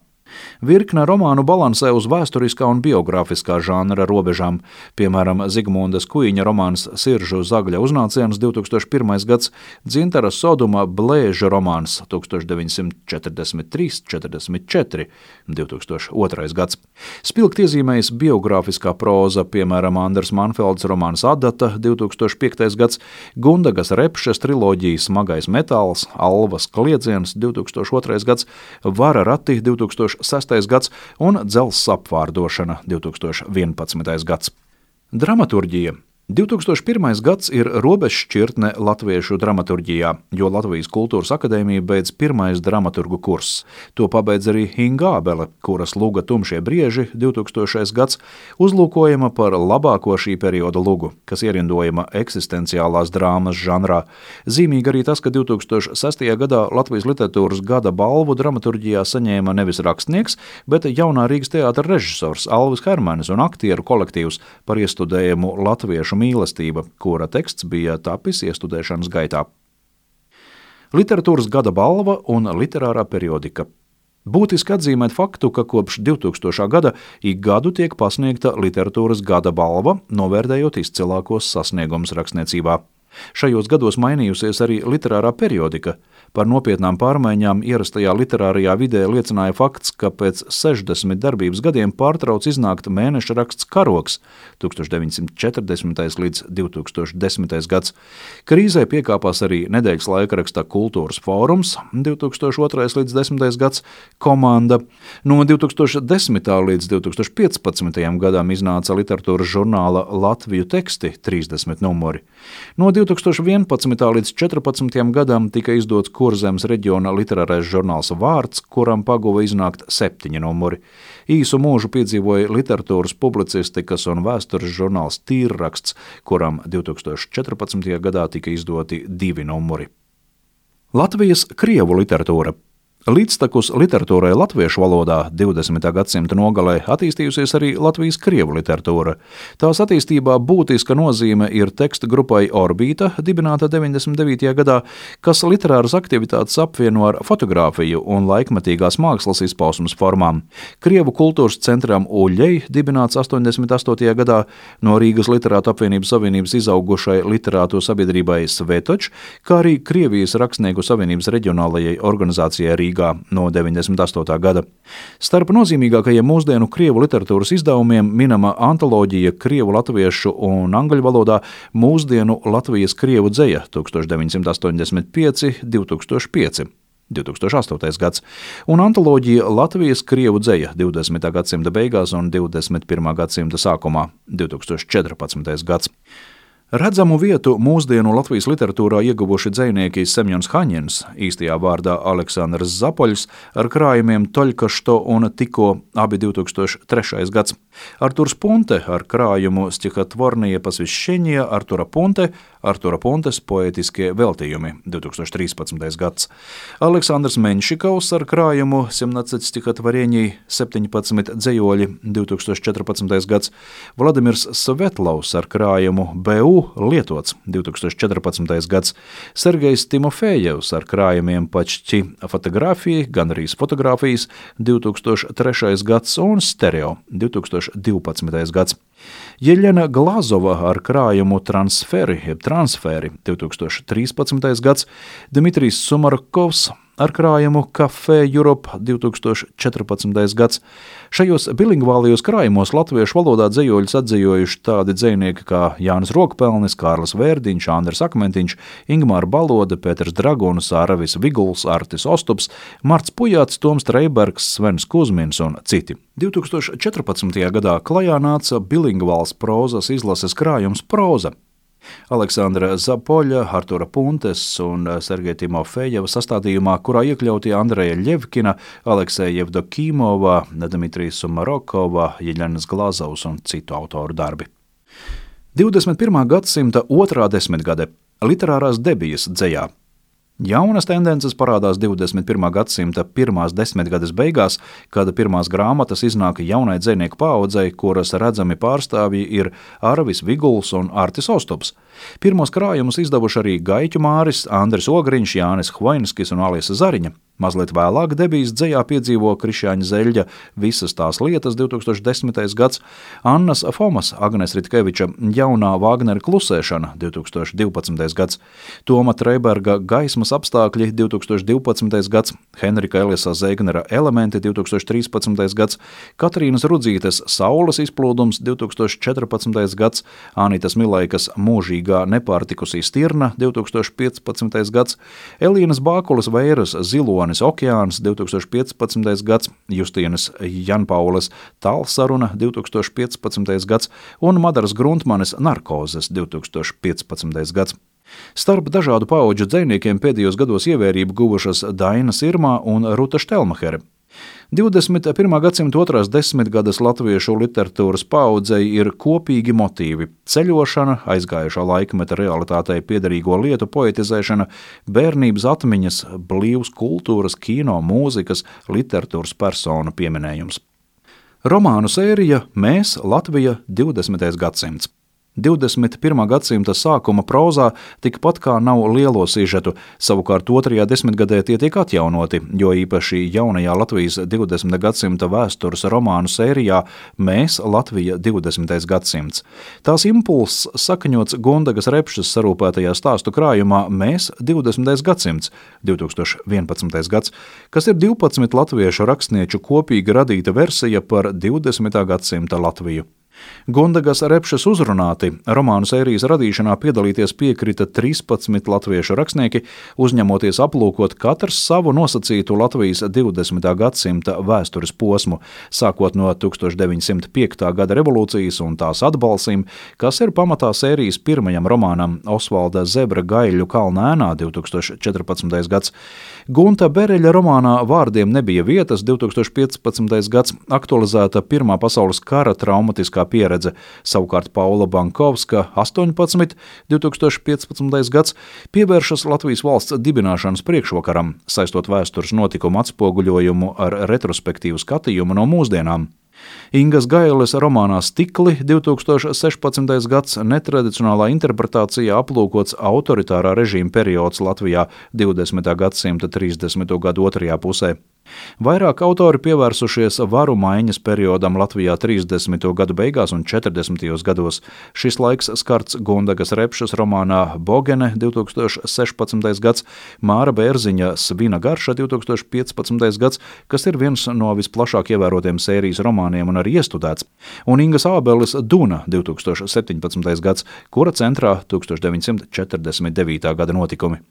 Virkne romānu balansē uz vēsturiskā un biogrāfiskā žanra robežām, piemēram, Zigmundas Kuiņa romāns Siržu zagļa uznāciens 2001. gads, Dzintara Soduma Blēža romāns 1943–44 2002. gads. Spilgt iezīmējas biogrāfiskā proza, piemēram, Andres Manfeldes romāns Adata 2005. gads, Gundagas Repšes triloģija Smagais metāls, Alvas kliedziens 2002. gads, Vara rati 2006. gads un Dzelzs apvārdošana 2011. gads. Dramaturģija. 2001. gads ir robežšķirtne latviešu dramaturģijā, jo Latvijas Kultūras akadēmija beidz pirmais dramaturgu kurss. To pabeidz arī Inga Ābele, kuras luga Tumšie brieži 2000. gads uzlūkojama par labāko šī perioda lugu, kas ierindojama eksistenciālās drāmas žanrā. Zīmīgi arī tas, ka 2006. gadā Latvijas literatūras gada balvu dramaturģijā saņēma nevis rakstnieks, bet jaunā Rīgas teātra režisors Alvis Hermanis un aktieru kolektīvs par iestudējumu latviešu mīlestība, kura teksts bija tapis iestudēšanas gaitā. Literatūras gada balva un literārā periodika. Būtiski atzīmēt faktu, ka kopš 2000. gada ik gadu tiek pasniegta literatūras gada balva, novērtējot izcilākos sasniegumus rakstniecībā. Šajos gados mainījusies arī literārā periodika. Par nopietnām pārmaiņām ierastajā literārajā vidē liecināja fakts, ka pēc 60 darbības gadiem pārtrauc iznākt mēneša raksts Karoks 1940. līdz 2010. gads. Krīzē piekāpās arī nedēļas laikraksta Kultūras fórums 2002. līdz 10. gads, Komanda. No 2010. līdz 2015. gadam iznāca literatūras žurnāla Latviju teksti 30 numuri. No 2011. līdz 2014. gadam tika izdots Kurzemes reģiona literārais žurnāls Vārds, kuram paguva iznākt 7 numuri. Īsu mūžu piedzīvoja literatūras publicistikas un vēstures žurnāls Tīrraksts, kuram 2014. gadā tika izdoti 2 numuri. Latvijas krievu literatūra. Līdztekus literatūrai latviešu valodā 20. gadsimta nogalē attīstījusies arī Latvijas krievu literatūra. Tās attīstībā būtiska nozīme ir teksta grupai Orbīta, dibināta 99. gadā, kas literāras aktivitātes apvieno ar fotogrāfiju un laikmetīgās mākslas izpausmes formām. Krievu kultūras centram Uļļei, dibināts 88. gadā, no Rīgas literātu apvienības savienības izaugušai literātu sabiedrībai Svetoč, kā arī Krievijas rakstnieku savienības reģionālajai organizācijai Rīgā no 98. gada. Starp nozīmīgākajiem mūsdienu krievu literatūras izdevumiem minama antoloģija krievu, latviešu un angļu valodā Mūsdienu Latvijas krievu dzeja 1985–2005, 2008. gads, un antoloģija Latvijas krievu dzeja 20. gadsimta beigās un 21. gadsimta sākumā 2014. gads. Redzamu vietu mūsdienu Latvijas literatūrā ieguvuši dzejnieki Semjons Haņins, īstajā vārdā Aleksandrs Zapoļs, ar krājumiem Toļkašto un Tiko, abi 2003. gads. Arturs Punte ar krājumu Stihotvornie посвящения Artura Puntes poētiskie veltījumi 2013. gads. Aleksandrs Menšikovs ar krājumu 17 stihotvoreний 17 dzejoļi 2014. gads. Vladimirs Svetlovs ar krājumu BU lietots 2014. gads. Sergejs Timofejevs ar krājumiem Pačti fotogrāfija, gan arī fotogrāfijas 2003. gads un stereo 2012. gads. Jeļena Glazova ar krājumu Transferi 2013. gads. Dmitrijs Sumarkovs ar krājumu Café Europe 2014. gads. Šajos bilingvālijos krājumos latviešu valodā dzejoļus atdzejojuši tādi dzejnieki kā Jānis Rokpelnis, Kārlis Vērdiņš, Andris Akmentiņš, Ingmāra Balode, Pēters Draguns, Aravis Viguls, Artis Ostups, Marts Pujāts, Toms Treibergs, Svens Kuzmins un citi. 2014. gadā klajā nāca bilingvāls prozas izlases krājums Proza. Aleksandra Zapoļa, Artura Puntes un Sergeja Timofejeva sastādījumā, kurā iekļauti Andreja Ļevkina, Alekseja Jevdokimova, Dmitrijas Sumarokova, Jeļenas Glazovs un citu autoru darbi. 21. gadsimta otrā desmitgade – literārās debijas dzejā. Jaunas tendences parādās 21. gadsimta pirmās desmitgades beigās, kad pirmās grāmatas iznāk jaunai dzejnieku paaudzei, kuras redzami pārstāvji ir Arvis Viguls un Artis Ostups. Pirmos krājumus izdevuši arī Gaiķu Māris, Andris Ogriņš, Jānis Hvaiņskis un Alisa Zariņa. Mazliet vēlāk debijas dzejā piedzīvo Krišjāņa Zeļģa Visas tās lietas 2010. gads, Annas Fomas, Agnes Ritkeviča Jaunā Vāgnera klusēšana 2012. gads, Toma Treiberga Gaismas apstākļi 2012. gads, Henrika Elisa Zēgnera Elementi 2013. gads, Katrīnas Rudzītes Saules izplūdums 2014. gads, Anitas Milaikas Mūžīgā nepārtikusī stirna 2015. gads, Elīnas Bākulas Vēras Zilonis Okeāns 2015. gads, Justīnas Janpaules Tālsaruna 2015. gads un Madaras Gruntmanes Narkozes 2015. gads. Starp dažādu paudžu dzejniekiem pēdējos gados ievērību guvušas Daina Sirmā un Ruta Štelmahere. 21. gadsimta otrās desmitgades latviešu literatūras paaudzei ir kopīgi motīvi – ceļošana, aizgājušā laikmeta realitātei piederīgo lietu poetizēšana, bērnības atmiņas, blīvs kultūras, kino, mūzikas, literatūras personu pieminējums. Romānu sērija Mēs, Latvija, 20. gadsimts. 21. gadsimta sākuma prozā tikpat kā nav lielo sižetu, savukārt otrajā desmitgadē tie tiek atjaunoti, jo īpaši jaunajā Latvijas 20. gadsimta vēstures romānu sērijā Mēs, Latvija, 20. gadsimts. Tās impulss sakaņots Gundagas Repšas sarūpētajā stāstu krājumā Mēs, 20. gadsimts, 2011. gads, kas ir 12 latviešu rakstnieču kopīgi radīta versija par 20. gadsimta Latviju. Gundagas Repšas uzrunāti romānu sērijas radīšanā piedalīties piekrita 13 latviešu rakstnieki, uzņemoties aplūkot katrs savu nosacītu Latvijas 20. gadsimta vēstures posmu, sākot no 1905. gada revolūcijas un tās atbalsīm, kas ir pamatā sērijas pirmajam romānam Osvalda Zebra Gaiļu Kalna ēnā 2014. gads. Gunta Bereļa romānā Vārdiem nebija vietas 2015. gads aktualizēta Pirmā pasaules kara traumatiskā praktiskā pieredze, savukārt Paula Bankovska 18, 2015. gads, pievēršas Latvijas valsts dibināšanas priekšvakaram, saistot vēstures notikumu atspoguļojumu ar retrospektīvu skatījumu no mūsdienām. Ingas Gailes romānā Stikli 2016. gads netradicionālā interpretācijā aplūkots autoritārā režīma periods Latvijā 20. gadsimta 30. gadu otrajā pusē. Vairāk autori pievērsušies varu maiņas periodam Latvijā 30. gadu beigās un 40. gados. Šis laiks skarts Gundagas Repšas romānā Bogene 2016. gads, Māra Bērziņa Svina garša 2015. gads, kas ir viens no visplašāk ievērotiem sērijas romāniem un arī iestudēts, un Ingas Ābeles Duna 2017. gads, kura centrā 1949. gada notikumi.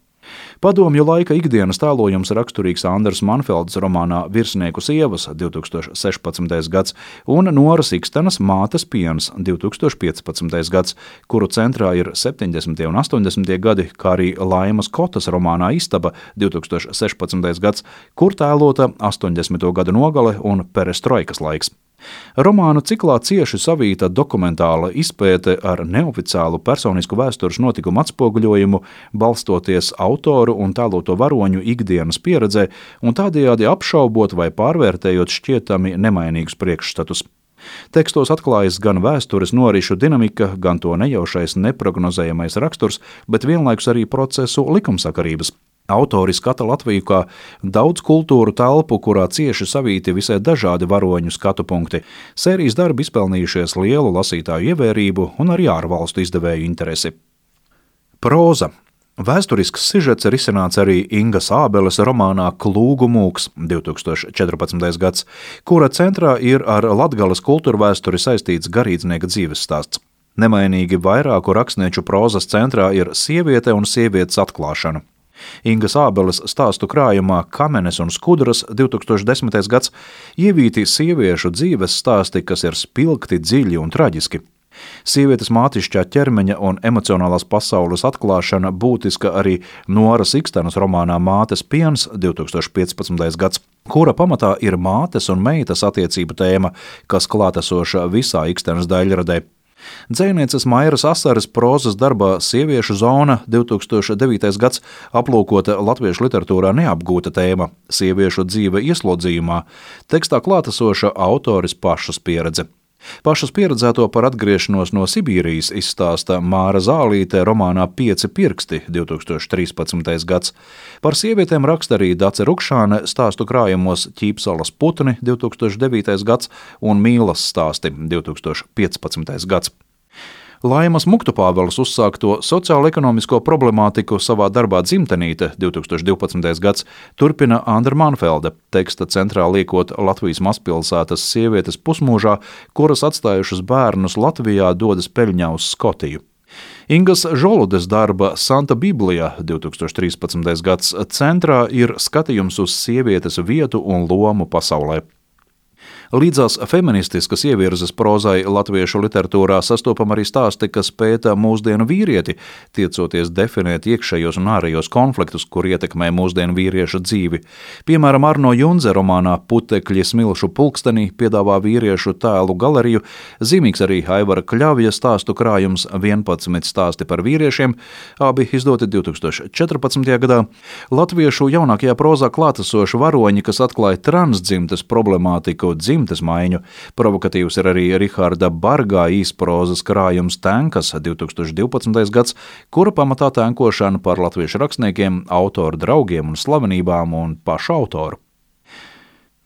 Padomju laika ikdienas tēlojums raksturīgs Andras Manfeldes romānā Virsnieku sievas 2016. gads un Noras Ikstenas Mātes piens 2015. gads, kuru centrā ir 70. un 80. gadi, kā arī Laimas Kotas romānā Istaba 2016. gads, kur tēlota 80. gadu nogale un perestroikas laiks. Romānu ciklā cieši savīta dokumentāla izpēte ar neoficiālu personisku vēstures notikumu atspoguļojumu, balstoties autoru un tēloto varoņu ikdienas pieredzē un tādējādi apšaubot vai pārvērtējot šķietami nemainīgus priekšstatus. Tekstos atklājas gan vēstures norišu dinamika, gan to nejaušais neprognozējamais raksturs, bet vienlaikus arī procesu likumsakarības. Autori skata Latviju kā daudz kultūru telpu, kurā cieši savīti visai dažādi varoņu skatu punkti. Sērijas darbi izpelnījušies lielu lasītāju ievērību un arī ārvalstu izdevēju interesi. Próza. Vēsturisks sižets ir izcināts arī Ingas Ābeles romānā Klūgu mūks 2014. gads, kura centrā ir ar Latgales kultūrvēsturi saistīts garīdznieka dzīves stāsts. Nemainīgi vairāku rakstnieču prózas centrā ir sieviete un sievietes atklāšana. Ingas Ābeles stāstu krājumā Kamenes un skudras 2010. gads ievīti sieviešu dzīves stāsti, kas ir spilgti, dziļi un traģiski. Sievietes mātišķā ķermeņa un emocionālās pasaules atklāšana būtiska arī Noras Ikstenas romānā Mātes piens 2015. gads, kura pamatā ir mātes un meitas attiecību tēma, kas klātesoša visā Ikstenas daļradē. Dzejnieces Mairas Asares prózas darbā Sieviešu zona 2009. gads aplūkota latviešu literatūrā neapgūta tēma – sieviešu dzīve ieslodzījumā, tekstā klātesoša autores pašas pieredze. Pašas pieredzēto par atgriešanos no Sibīrijas izstāsta Māra Zālīte romānā Pieci pirksti 2013. gads. Par sievietēm raksta arī Dace Rukšāne stāstu krājumos Ķīpsalas putni 2009. gads un Mīlas stāsti 2015. gads. Laimas Muktupāveles uzsākto sociālo-ekonomisko problemātiku savā darbā Dzimtenīte 2012. gads turpina Andra Manfelde, teksta centrā liekot Latvijas mazpilsētas sievietes pusmūžā, kuras atstājušas bērnus Latvijā dodas peļņā uz Skotiju. Ingas Žoludes darba Santa Biblija 2013. gads centrā ir skatījums uz sievietes vietu un lomu pasaulē. Līdzās feministiskas ievirzes prózai latviešu literatūrā sastopam arī stāsti, kas pēta mūsdienu vīrieti, tiecoties definēt iekšējos un ārējos konfliktus, kur ietekmē mūsdienu vīrieša dzīvi. Piemēram, Arno Junze romānā Putekļi smilšu pulkstenī piedāvā vīriešu tēlu galeriju, zīmīgs arī Aivara Kļavja stāstu krājums 11 stāsti par vīriešiem, abi izdoti 2014. gadā. Latviešu jaunākajā prózā klātesoši varoņi, kas atklāja transdzimtes problemātiku, dzimtes maiņu. Provokatīvs ir arī Riharda Bargā īsprozas krājums Tenkas 2012. gads, kura pamatā tenkošana par latviešu rakstniekiem, autoru draugiem un slavenībām un pašu autoru.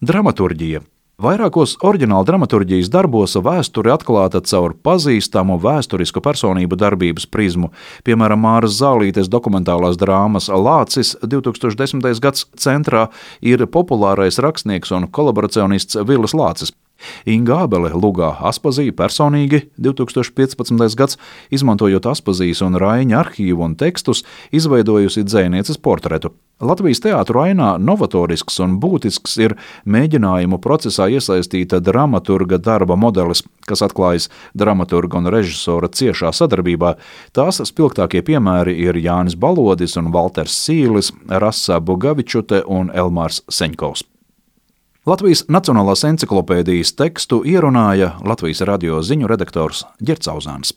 Dramaturģija. Vairākos oriģināla dramaturģijas darbos vēsture atklāta caur pazīstamu vēsturisku personību darbības prizmu. Piemēram, Māras Zālītes dokumentālās drāmas Lācis 2010. gads centrā ir populārais rakstnieks un kolaboracionists Vilis Lācis. Inga Ābele lugā Aspazija personīgi 2015. gads, izmantojot Aspazijas un Raiņa arhīvu un tekstus, izveidojusi dzejnieces portretu. Latvijas teātru ainā novatorisks un būtisks ir mēģinājumu procesā iesaistīta dramaturga darba modelis, kas atklājas dramaturga un režisora ciešā sadarbībā. Tās spilgtākie piemēri ir Jānis Balodis un Valters Sīlis, Rasa Bugavičute un Elmārs Seņkovs. Latvijas Nacionālās enciklopēdijas tekstu ierunāja Latvijas radio ziņu redaktors Ģerts Auzāns.